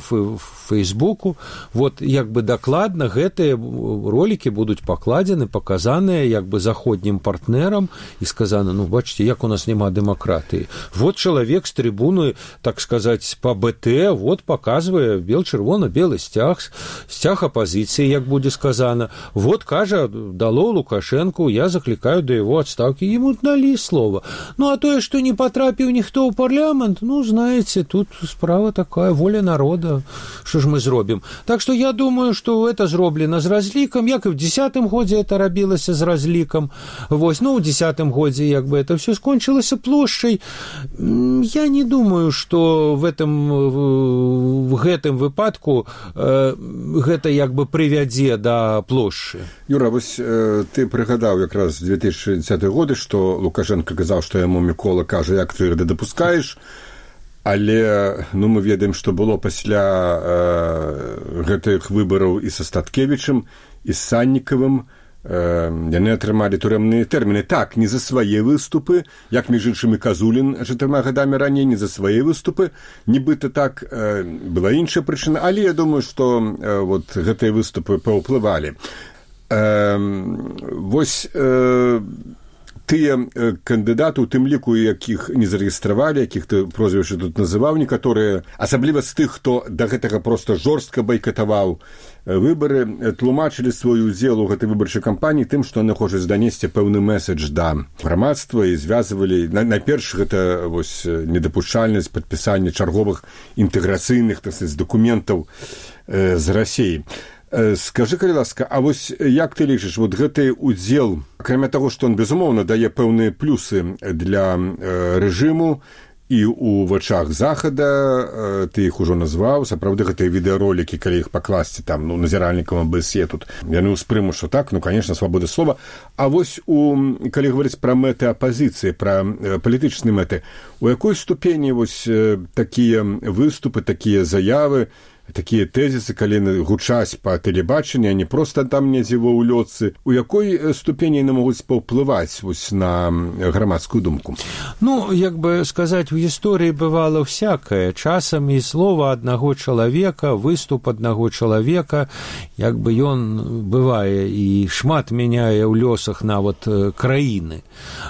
Фейсбуку, вот, як бы, дакладна гэтыя ролікі будуць пакладзены, паказаныя як бы заходнім партнерам і сказана, ну, бачыце, як у нас няма дэмакратыі. Вот чалавек з трыбуны, так сказаць, па БТ, вот паказвае бел-чырвона-белы сцяг апазіцыі, як будзе сказана. Вот кажа, дало Лукашенку, я заклікаю да яго адстаўкі. Ему далі слова. Ну, а тое, што не патрапіў ніхто ў парламент, ну, знаеце, тут справа такая, воля народа, што ж мы зробім. Так што я думаю, што это зроблена з разлікам, як і в 10-м годзе это рабілася з разлікам. Вось, ну, ў 10-м годзе, як бы, это все скончылася плошчай. Я не думаю, што в гэтым выпадку гэта, як бы, прывядзе да плошчы. Юра, вось ты прыгадаў якраз 2010 годы, што Лукашенко казаў, што яму Мікола кажа, як ты гэта дапускаеш, але, ну, мы ведаем, што было пасля гэтых выбараў і са Статкевічам, і з Саннікавым. Яны атрымалі турэмныя тэрміны. Так, не за свае выступы, як, між іншымі, Казулін 4 гадамі раней, не за свае выступы. Нібыта так, была іншая прычына, але я думаю, што вот гэтыя выступы паўплывалі. Вось тыя кандыдаты, у тым ліку, якіх не зарэгістравалі, якіх ты прозвішча тут называў, некаторыя, асабліва з тых, хто да гэтага проста жорстка байкатаваў выбары, тлумачылі свой удзел у гэтай выбарчай кампаніі тым, што яны хочуць данесці пэўны месседж да грамадства і звязвалі, найперш, гэта вось недапушчальнасць падпісання чарговых інтэграцыйных, так сказаць, дакументаў з Расіі. Скажы, калі ласка, а вось як ты лічыш, вот гэты удзел, акрамя таго, што он, безумоўна, дае пэўныя плюсы для рэжыму і ў вачах захада, ты іх ужо назваў, сапраўды гэтыя відэаролікі, калі іх пакласці там, ну, назіральнікам АБС тут, яны ўспрымуць, што так, ну, конечно, свабода слова. А вось калі гаварыць пра мэты апазіцыі, пра палітычныя мэты, у якой ступені вось такія выступы, такія заявы, такія тэзісы, калі гучаць па тэлебачанні, а не проста там недзе ва ўлётцы, у якой ступені яны могуць паўплываць вось на грамадскую думку? Ну, як бы сказаць, у гісторыі бывала всякае. Часам і слова аднаго чалавека, выступ аднаго чалавека, як бы ён бывае і шмат мяняе ў лёсах нават краіны.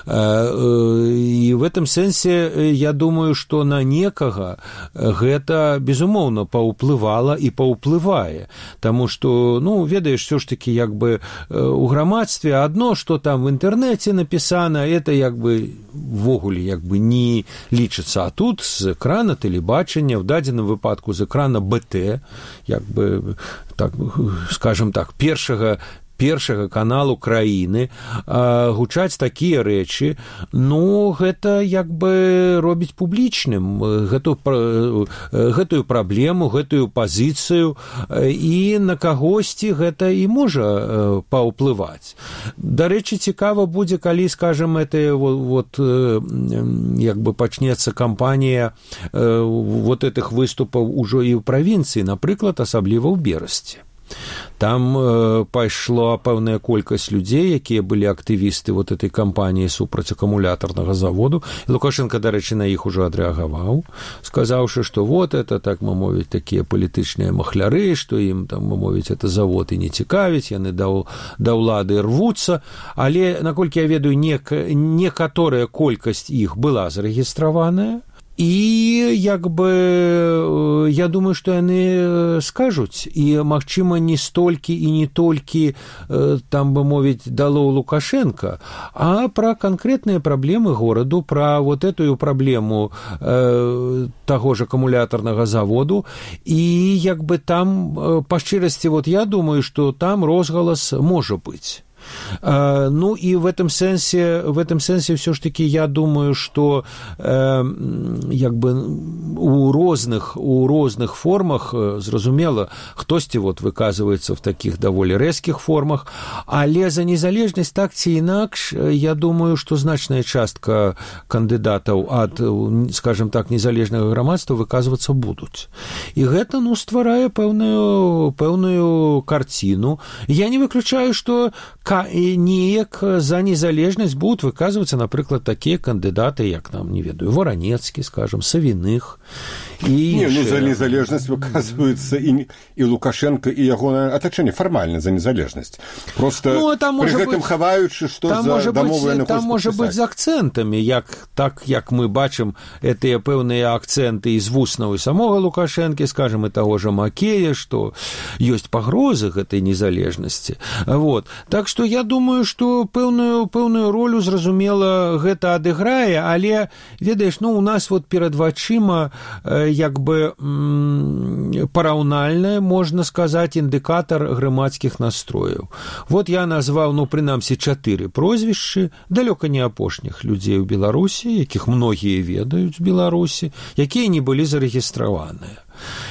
І в этом сэнсе я думаю, што на некага гэта, безумоўна, паўплывае і паўплывае, таму што, ну, ведаеш, все ж таки, як бы у грамадстве адно, што там в інтэрнэце напісана, это, як бы, ввогуле, як бы не лічыцца, а тут з экрана тэлебачання, в дадзеным выпадку з экрана БТ, як бы, так, скажем так, першага першага каналу краіны гучаць такія рэчы, ну, гэта як бы робіць публічным гэтую праблему, гэтую пазіцыю, і на кагосьці гэта і можа паўплываць. Дарэчы, цікава будзе, калі, скажем, это вот як бы пачнецца кампанія вот этих выступаў ужо і ў правінцыі, напрыклад, асабліва ў Берасці. Там пайшла пэўная колькасць людзей, якія былі актывісты вот этой кампаніі супраць акумулятарнага заводу. І Лукашенко, дарэчы, на іх ужо адрэагаваў, сказаўшы, што вот это, так мовіць, такія палітычныя махляры, што ім, там мовіць, это завод і не цікавіць, яны да ўлады рвуцца. Але, наколькі я ведаю, некаторая колькасць іх была зарэгістраваная. І, як бы, я думаю, што яны скажуць, і, магчыма, не столькі і не толькі, там бы мовіць, дало Лукашенко, а пра канкрэтныя праблемы гораду, пра вот эту праблему таго ж акумулятарнага заводу, і, як бы, там, па шчырасці, вот я думаю, што там розгалас можа быць. Ну и в этом сенсе все ж таки я думаю, что як бы у розных формах, зразумела, хтосьці вот выказывается в таких даволі рэзкіх формах, але за незалежнасць так ці інакш, я думаю, что значная частка кандыдатаў ад, скажем так, незалежнага грамадства выказвацца будуць. І гэта, ну, стварае пэўную карціну. Я не выключаю, что неяк за незалежнасць будуць выказвацца, напрыклад, такія кандыдаты, як, там, не ведаю, Варанецкі, скажем, Савіных і не, ну, за незалежнасць выказваюцца і Лукашенко, і ягонае атачэнне фармальна за незалежнасць. Просто ну, пры гэтым хаваючы, што за дамовы яны хочуць падпісаць. Там можа быць з акцэнтамі, як мы бачым гэтыя пэўныя акцэнты з вуснаў і самога Лукашэнкі, скажем, і таго ж Макея, што ёсць пагрозы гэтай незалежнасці. Вот. Так што я думаю, што пэўную ролю, зразумела, гэта адыграе, але, ведаеш, ну, у нас вот перад вачыма як бы параўнальная, можна сказаць, індыкатар грамадскіх настрояў. Вот я назваў, ну, прынамсі, 4 прозвішчы, далёка не апошніх людзей у Беларусі, якіх многія ведаюць у Беларусі, якія не былі зарэгістраваныя.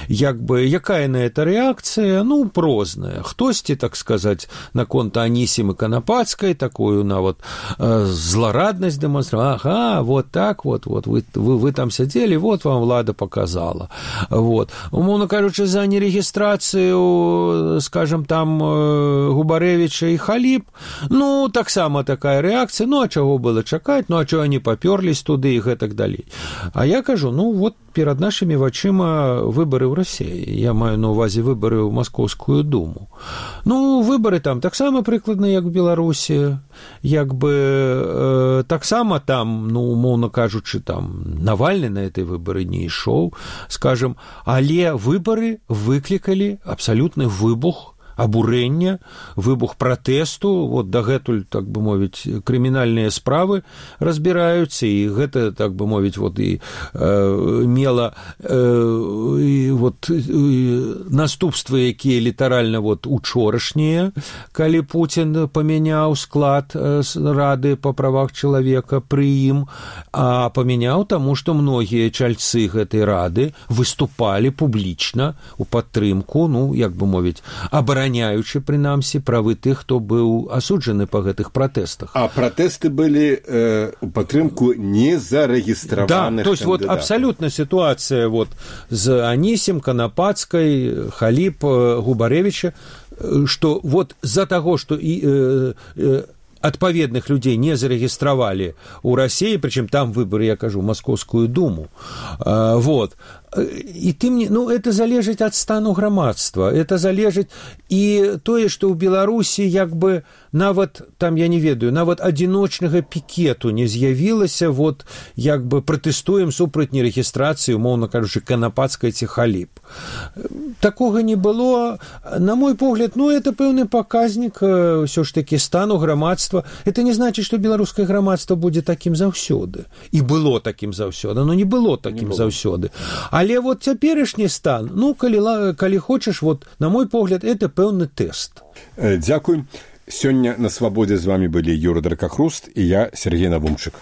Як бы, якая на это рэакцыя? Ну, прозная. Хтосьці, так сказаць, наконт Анісімы Канапацкай, такую нават злараднасць дэманстравала. Ага, вот так вот, вы там сядзелі, вот вам ўлада показала. Вот. Умоўна кажучы, за нерэгістрацыю, скажем, там, Губарэвіча і Халіп, ну, таксама такая рэакцыя, ну, а чаго было чакаць, ну, а чаго они папёрлись туды і гэтак далей. А я кажу, ну, вот перад нашымі вачыма выборы ў Расіі. Я маю на ўвазе выборы ў Маскоўскую думу. Ну, выборы там таксама прыкладна, як у Беларусі, як бы таксама там, ну, умоўна кажучы, там Навальны на этой выборы не ішоў, скажем, але выборы выклікалі абсалютны выбух абурэння, выбух пратэсту, вот дагэтуль, так бы мовіць, крымінальныя справы разбіраюцца, і гэта, так бы мовіць, вот і мела вот наступствы, якія літаральна вот учорашнія, калі Пуцін памяняў склад Рады па правах чалавека пры ім, а памяняў таму, што многія чальцы гэтай рады выступалі публічна у падтрымку, ну, як бы мовіць, абараняючы, прынамсі, правы тых, хто быў асуджаны па гэтых пратэстах. А пратэсты былі у падтрымку незарэгістраваных кандыдатаў. Да, то есть вот абсолютно ситуация вот з Анісім, Канапацкай, Халіп, Губарэвіча, што вот з-за таго, што адпаведных людзей не зарэгістравалі ў Расіі, прычым там выборы, я кажу, Маскоўскую думу. Вот. І тым не, ну, это залежыць ад стану грамадства, это залежыць і тое, што ў Беларусі як бы нават, там, я не ведаю, нават адзіночнага пікету не з'явілася, вот, як бы пратэстуем супраць нерэгістрацыі, умоўна кажучы, Канапацкай ці Халіп. Такога не было. На мой погляд, ну, это пэўны паказнік ўсё ж такі стану грамадства. Это не значыць, што беларускае грамадства будзе такім заўсёды. І было такім заўсёды, но не было такім заўсёды. Але вот цяперашні стан, ну, калі хочаш, вот, на мой погляд, это пэўны тэст. Дзякуй. Сёння на свабодзе з вами былі Юра Дракахруст і я, Сергей Навумчык.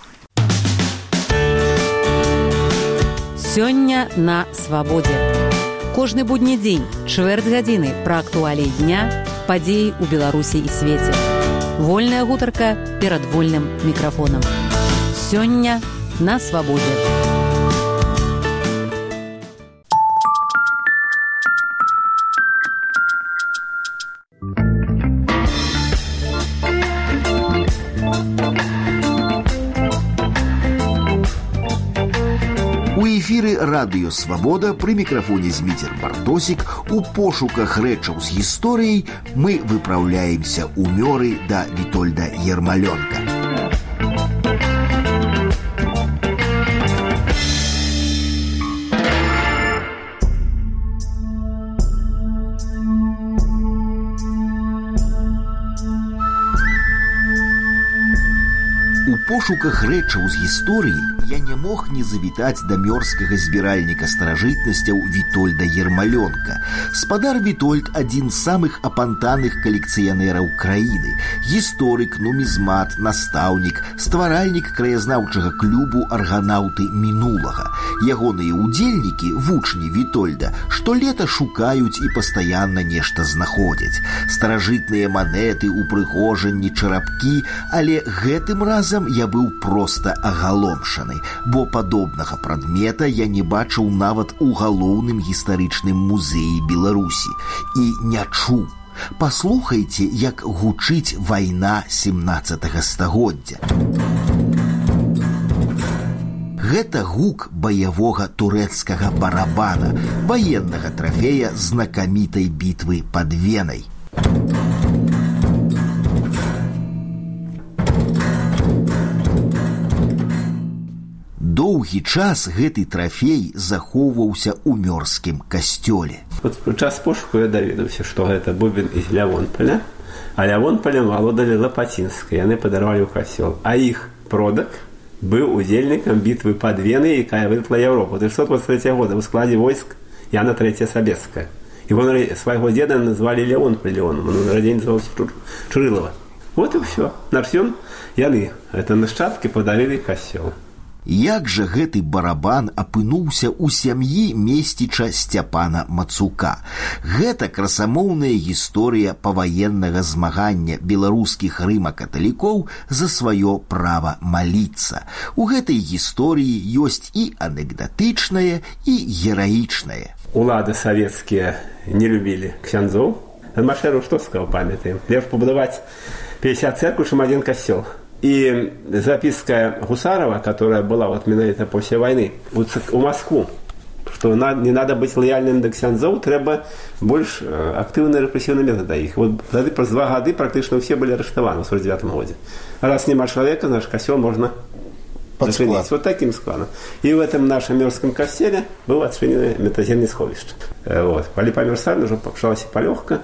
Сёння на свабодзе. Кожны будні дзень, чвэрць гадзіны пра актуаліі дня, падзеі ў Беларусі і свеце. Вольная гутарка перад вольным мікрафонам. Сёння на свабодзе. У эфіры радыё «Свабода» пры мікрафоне Зміцер Бартосік. У пошуках рэчаў з гісторыяй мы выпраўляемся ў мёры да Вітольда Ермалёнка. У пошуках рэчаў з гісторыі я не мог не завітаць да мёрскага збіральніка старажытнасцяў Вітольда Ермалёнка. Спадар Вітольд – адзін з самых апантаных калекцыянераў краіны. Гісторык, нумізмат, настаўнік, стваральнік краязнаўчага клубу «Арганаўты мінулага». Ягоныя ўдзельнікі, вучні Вітольда, штолета шукаюць і пастаянна нешта знаходзяць. Старажытныя манеты, упрыгожанні, чарапкі, але гэтым разам я быў проста агаломшаны, бо падобнага прадмета я не бачыў нават у галоўным гістарычным музеі Беларусі і не чуў. Паслухайце, як гучыць вайна 17 стагоддзя. Гэта гук баявога турэцкага барабана, ваеннага трафея знакамітай бітвы пад Венай. Доўгі час гэты трафей захоўваўся ў мёрскім касцёле. Вот у час пошуку я даведаўся, што гэта бубен з Лявонполя, а Лявонполем валодалі Лапацінскай, яны падарвалі ў касцёл. А іх продак быў удзельнікам бітвы пад Венай, якая вырвала Европу 1923 года ў складзе войск Яна III Сабецкая. Его свайго деда назвалі Леон-Палеоном, он нарадзень называўся Чурылава. Вот і ўсё. Нарсён яны, это нашчадкі, падарылі касцёл. Як жа гэты барабан апынуўся ў сям'і месціча Сцяпана Мацука? Гэта красамоўная гісторыя паваеннага змагання беларускіх рыма-каталікоў за сваё права маліцца. У гэтай гісторыі ёсць і анекдатычнае, і гераічнае. Улады савецкія не любілі ксяндзоў. Адмашэру што сказаў, памятаем? Лепш пабудаваць 50 церкваў, чым один касцёл. И записка Гусарова, которая была вот именно после войны, вот у Москву, что не надо быть лояльным до ксяндзоў, треба больше активные репрессивные методы их. Вот за 2 года практически все были арестованы в 49 году. Раз нема человека, наш костел можно зачинить. Вот таким складом. И в этом нашем мёрском костеле было отчинено метаземное сховище. Вот. Поли померзали, уже пошалась полегка,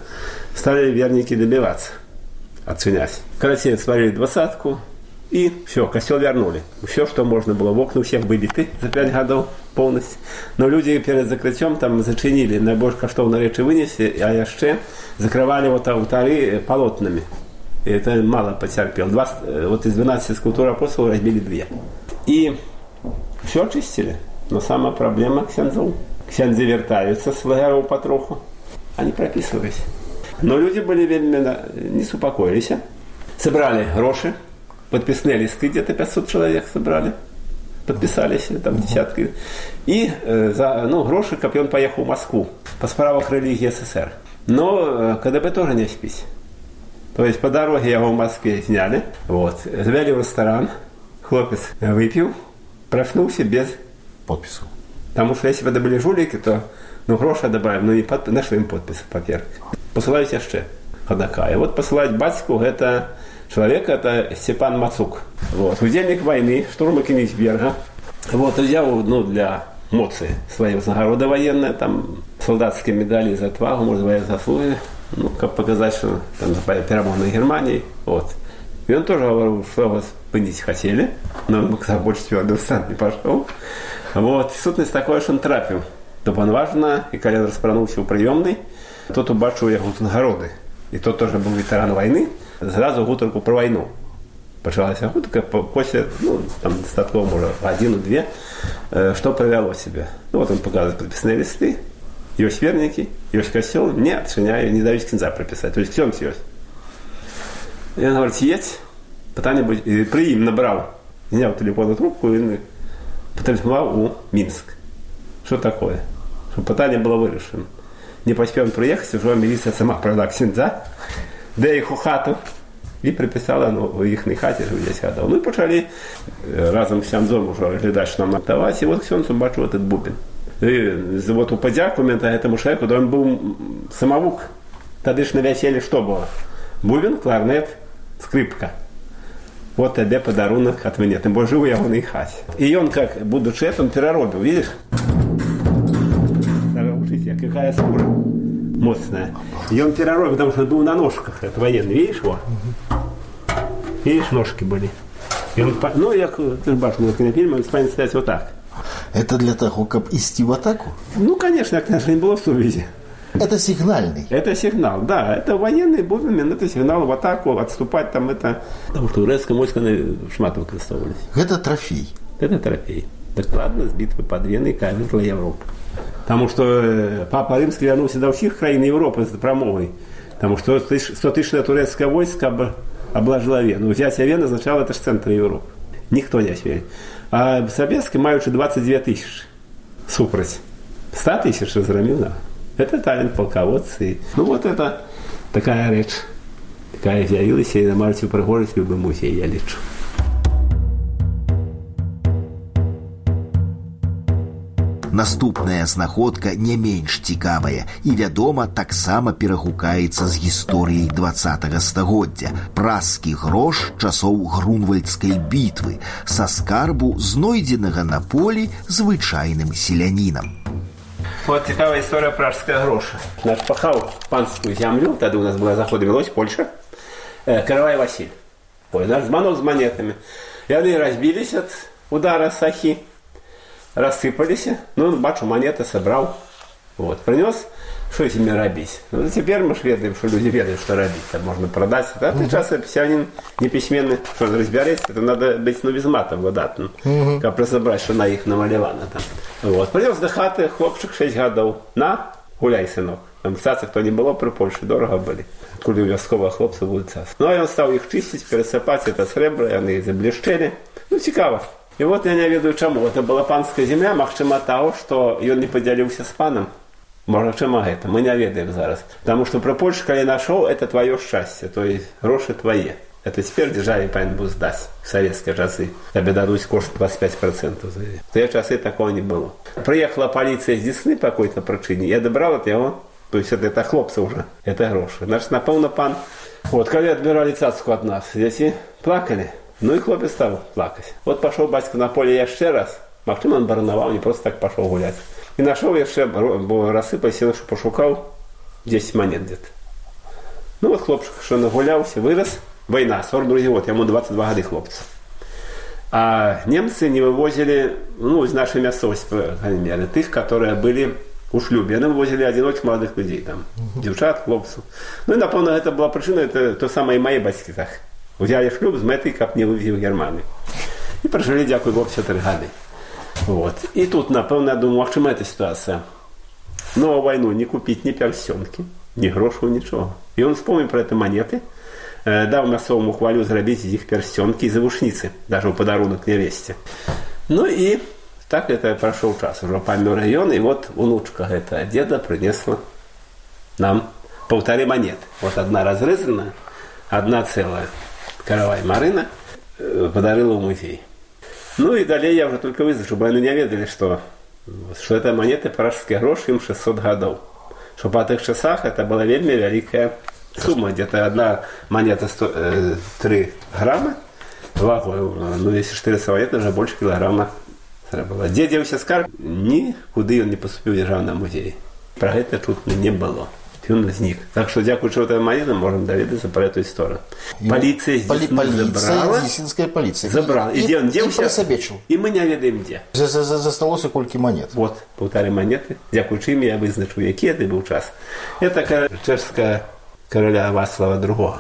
стали верники добиваться. Отценять. Короче, сварили 20-ку, и все, костел вернули. Все, что можно было, в окна у всех выбиты за 5 годов полностью. Но люди перед закрытием там зачинили, найбольш каштоўныя рэчы вынесли, а яшчэ закрывали вот алтары полотнами. И это мало потерпел. Вот из 12 скульптур апостолов разбили 2. И все очистили. Но самая проблема ксяндзоў. Ксяндзы вертаются с лагеров потроху. Они прописывались. Но люди были вельми не супокоились. Собрали гроши, подписные листы, где-то 500 человек собрали, подписались, там десятки. И за гроши Копьон поехал в Москву по справах религии СССР. Но КДБ тоже не спись. То есть по дороге его в Москве сняли, вот, завели в ресторан, хлопец выпил, проснулся без подпису. Потому что если бы это были жулики, то гроши добавим, но не нашли им подпись в паперах. Посылаюсь яшчэ ходака. И вот посылать батьку это человек, это Степан Мацук. Вот. Удельник войны, штурма Кенигсберга. Вот, взял для моцы свои нагороды военные, там солдатские медали за отвагу, может, военные заслуги, как показать, что там перемог на Германии. Вот. И он тоже говорил, что его спынить хотели, но он больше твердый встан не пошел. Вот. И сутность такое, что он трапил. То важно, и когда распранулся у приемной, тот убачил его нагороды. И тот тоже был ветеран войны, сразу гутарку про войну. Пачалась гутарка после, там, достатково, может, 1-2, что привело себя. Вот он показывает прописные листы, есть верники, есть косел, не отчиняю, не дают кінза прописать. То есть ксенц есть. И он говорит, едь, питання і при їм набрав, зняв телефонну трубку і потелефонував у Мінськ. Що таке? Щоб питання було вирішено. Не поспів приїхати, вже міліція сама провела ксенза, де їх у хату, і приписала у їхній хаті, що 10 гадів. Ну і почали разом з ксензом вже глядати, що нам надавати, і от ксензу бачу этот бубен. І от у подяку этому человеку, да він був самовук. Тоді ж на весіллі що було? Бубен, кларнет, скрипка. Вот тебе подарунок от меня. Тем более живу я в хате. И он, как будучи этим, переробил, видишь? Смотрите, какая скура мощная. И он переробил, потому что он был на ножках. Это военный, видишь его? Видишь, ножки были. И он, я, ты же башню на фильме, он станет стоять вот так. Это для того, как идти в атаку? Конечно, не было в сувязи. Это сигнальный. Это сигнал, да. Это военный бубен, это сигнал в атаку, отступать там это. Потому что турецкое войско шмат выкористовывались. Это трофей. Это трофей. Докладно с битвы под Веной камерла Европы. Потому что Папа Римский вернулся до всех краин Европы с промовой. Потому что 100-тысячное турецкое войско обложило Вену. Взятие Вены означало, это же центр Европы. Никто не освоил. А советские маючи 22 тысячи. Супроть 100 тысяч разгромил, да. Это талент полководцы. Вот это такая речь. Такая з'явилася і намагається пригожити любий музей, я лічу. Наступная знаходка не менш цікавая і, вядома, таксама перагукаецца з гісторыяй 20-го стагоддзя. Празскі грош часоў Грунвальдскай бітвы са скарбу, знойдзенага на полі звычайным селянінам. Вот цікавая история пражского гроша. Наш пахал панскую землю, тогда у нас была заход Беларусь, Польша, Каравай Василь. Наш звонок с монетами. И они разбились от удара сахи, рассыпались. Бачу, монеты собрал. Принес, что с ними робить. Теперь мы ведаем, что люди ведают, что робить. Там можно продать. А ты часто письянин неписьменный, что разбирать, это надо быть без мата выдатным. Как разобрать, что на их намалевано там. Принес до хаты хлопчик 6 годов. На, гуляй, сынок. Там цацы, кто не было при Польше, дорого были. Коли у вязкового хлопца будут цацы. И он стал их чистить, пересыпать, это сребро, и они заблещели. Цікаво. И я не ведаю чему. Это была панская земля, махчима того, что он не поделился с паном. Может, чему это? Мы не ведаем зараз. Потому что про Польшу, когда я нашел, это твое счастье. То есть гроши твои. Это теперь державе повинен был сдать в советские часы. Тебе дадут кошт 25%. В те часы такого не было. Приехала полиция с Десны по какой-то причине. Я добрал от его. То есть это хлопцы уже. Это гроши. Значит, напевно, пан. Когда отбирали цацку от нас, дети плакали. И хлопец стал плакать. Пошел батька на поле еще раз. Махчим он барановал, не просто так пошел гулять. И нашел еще, рассыпался, что пошукал 10 монет где-то. Хлопчик, что нагулялся, вырос. Война, 42 год, ему 22 года хлопца. А немцы не вывозили, из нашей мясовости, по крайней мере, тех, которые были у шлюбе. Они вывозили одиночек молодых людей, там, девчат, хлопцев. И, напомню, это была причина, это то самое и мои батьки так. Взяли шлюб з метой, как не вывезли в Германию. И прожили, дякую Богу, 4 года. И тут, напевно, я думаю, чому эта ситуация? Но войну не купить ни перстенки, ни грошу, ничего. И он вспомнил про эти монеты, дал мясовому хвалю зробить из них перстенки и завушницы, даже в подарунок невесте. И так это прошел час, уже помер район, и внучка этого деда принесла нам 1,5 монеты. Одна разрезанная, одна целая. Каравай Марина подарила в музей. И далее я уже только вызвал, чтобы они не ведали, что это монеты пражские гроши, им 600 годов. Что по тех часах это была вельми великая сумма. Где-то одна монета 3 грамма вагой. Если 400 монет, уже больше килограмма было. Где делался скарб, никуда он не поступил в державный музей. Про это тут не было. Он возник. Так что, дякуючи этим монетам, можем доведаться про эту историю. Полиция здесь забрала. Десинская полиция. Забрала. И где он делся? Прособечил. И мы не ведаем где. Засталося кольки монет. 1,5 монеты. Дякуючи им я визначу, який это был час. Это чешская короля Вацлава II.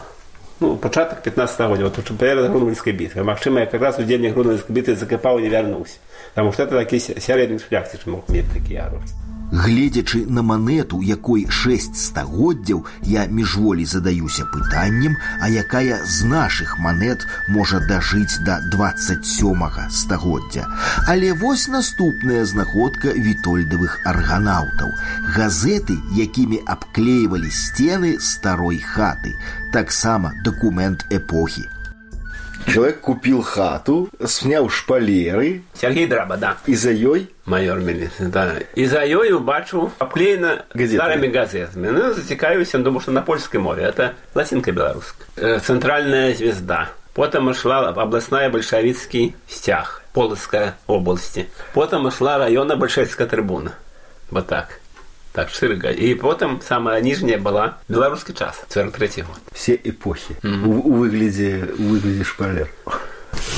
пачатак 15 года, перед Грунвальдской битвой. Магчыма, я как раз у дзень Грунвальдской битвы закопал и не вернулся. Потому что это такие сярэдні шляхціч мог мець такие оружия. Гледзячы на манету, якой 6 стагоддзяў, я міжволі задаюся пытаннем, а якая з нашых манет можа дажыць да 27 стагоддзя. Але вось наступная знаходка вітольдавых арганаўтаў. Газеты, якімі абклеивалі сцены старой хаты. Таксама дакумент эпохі. Человек купил хату, снял шпалеры. Сергей Драба, да. И за ёй? Майор милиции, да. И за ёй убачу обклеено старыми газетами. Ну, затекаюся, думаю, что на польской мове. Это латинка белорусская. Центральная звезда. Потом шла областная большевистский стяг, Полоцкая области. Потом шла районная большевистская трибуна. Вот так. Так, 4 года. И потом самая нижняя была «Белорусский час», 43-й год. Все эпохи. У выгляде шпалер.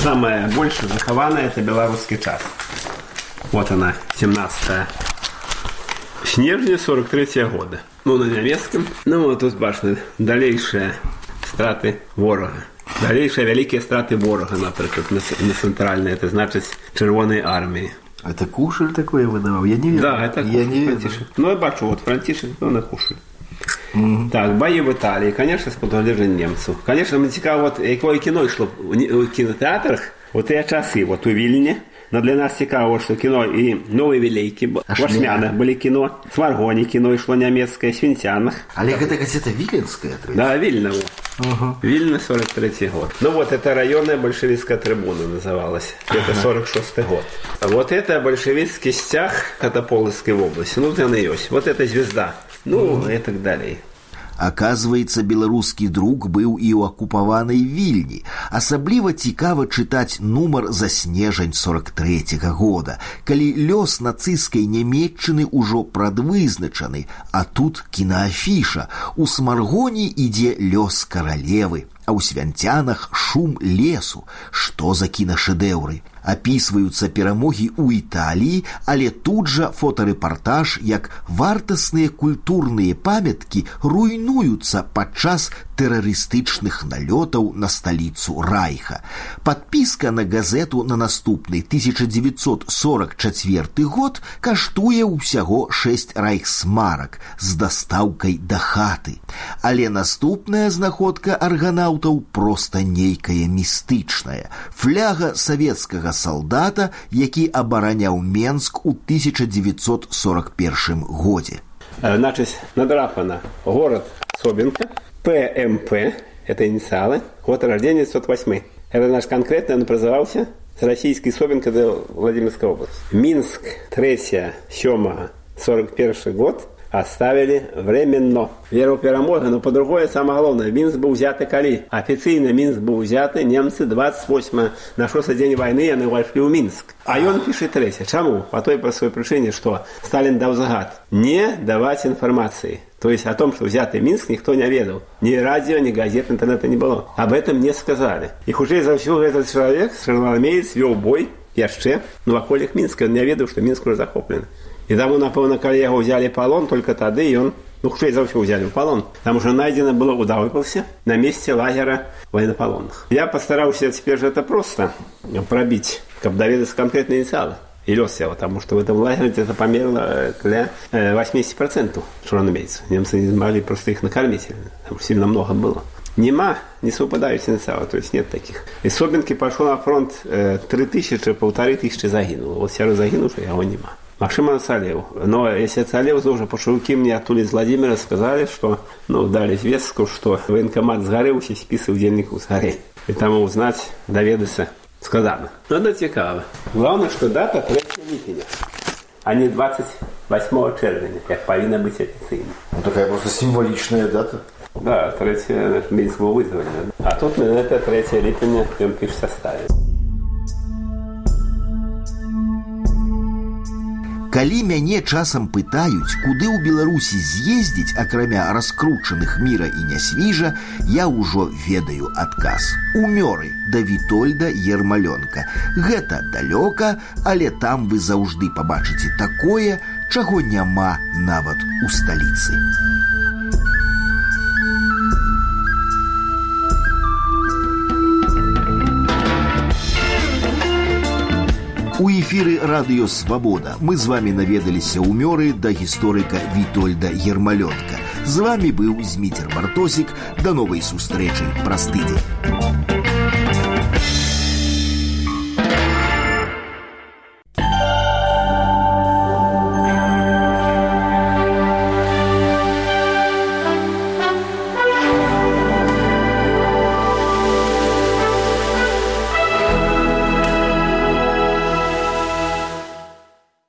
Самая больше захованная – это «Белорусский час». Вот она, 17 снежня 43-го года. На немецком. Вот тут башня. Далейшие страты ворога. Далейшие великие страты ворога, например, на центральной. Это значит Червоной армии. Это Кушель такое выдавал? Я не верю. Да, это я не Франтишек. Я бачу, вот Франтишек, на Кушель. Так, бои в Италии, конечно, с подвижением немцев. Конечно, мне цікаво, вот якое кіно йшло у кінотеатрах, вот я часы, вот у Вильне. Но для нас цікаво, что кино и Новые Велейки, в Ашмянах были кино, в Сморгоне кино шло немецкое, в Свинтянах. Але это газета Виленская? Да, Вильна. Вильна, 43-й год. Ну вот, это районная большевистская трибуна называлась. Это 46-й год. Вот это большевистский стяг Полоцкой области. Ну, там и есть. Вот это звезда. Ну, и так далее. Аказваецца, беларускі друк быў і ў акупаванай Вільні. Асабліва цікава чытаць нумар за снежань 43-го года, калі лёс нацысцкай Нямецчыны ўжо прадвызначаны, а тут кінаафіша. У Смаргоне ідзе лёс каралевы, а ў Свянцянах шум лесу. Што за кінашэдэўры? Апісваюцца перамогі ў Італіі, але тут жа фотарэпартаж, як вартасныя культурныя памяткі руйнуюцца падчас тэрарыстычных налётаў на сталіцу Райха. Падпіска на газету на наступны 1944 год каштуе ўсяго 6 райхсмарак з дастаўкай да хаты. Але наступная знаходка арганаўтаў проста нейкая містычная. Фляга савецкага солдата, які абараняў Менск у 1941 годзе. Значит, надрапана город Собинка, ПМП, это инициалы, год рождения 1908. Это наш конкретно, он назывался с российской Собинка до Владимирской области. Минск, 3-7, 41 год оставили временно. Вера в перемогу, но по-другому самое главное. Минск был взят коли. Официально Минск был взят, немцы 28 на 6-й день войны они вошли в Минск. А он пишет 3. Чему? По той простой причине, что Сталин дал загад не давать информации. То есть о том, что взятый Минск, никто не ведал. Ни радио, ни газет, интернета не было. Об этом не сказали. И хуже за все этот человек, червоноармеец, вел бой, яшчэ, в околях Минска. Он не ведал, что Минск уже захоплен. И тому, напевно, коли його взяли в полон, только тогда и он, хуже за все взяли в полон. Потому что найдено было удавывался на месте лагеря военнополонных. Я постарался теперь же это просто пробить, как доведаться конкретные инициалы. И лёс его, потому что в этом лагере это померло для 80% червоноармейцев. Немцы не могли просто их накормить, там сильно много было. Нема, не совпадающие инициалы, то есть нет таких. Из Собинки пошел на фронт 1500 загинуло. Вот все загинувшие, его нема. Максим Ацалев. Но если Ацалев, то уже пошелки мне оттуда из Владимира сказали, что, дали известку, что военкомат сгорелся, списы удельников сгорели. И там узнать, доведаться сказано. Это цікаво. Главное, что дата 3 липня, а не 28 червня, как повинна быть официально. Такая просто символичная дата. Да, 3 Минск был вызван. А тут это 3 липня, он пишет составе. Калі мяне часам пытаюць, куды ў Беларусі з'ездзіць, акрамя раскручаных Міра і Нясвіжа, я ўжо ведаю адказ. У Мёры да Вітольда Ермалёнка. Гэта далёка, але там вы заўжды пабачыце такое, чаго няма нават у сталіцы. У эфіры радыё «Свабода» мы з вами наведаліся ў Мёры да гісторыка Вітольда Ермалёнка. З вами быў Зміцер Бартосік. Да новай сустрэчы праз тыдзень.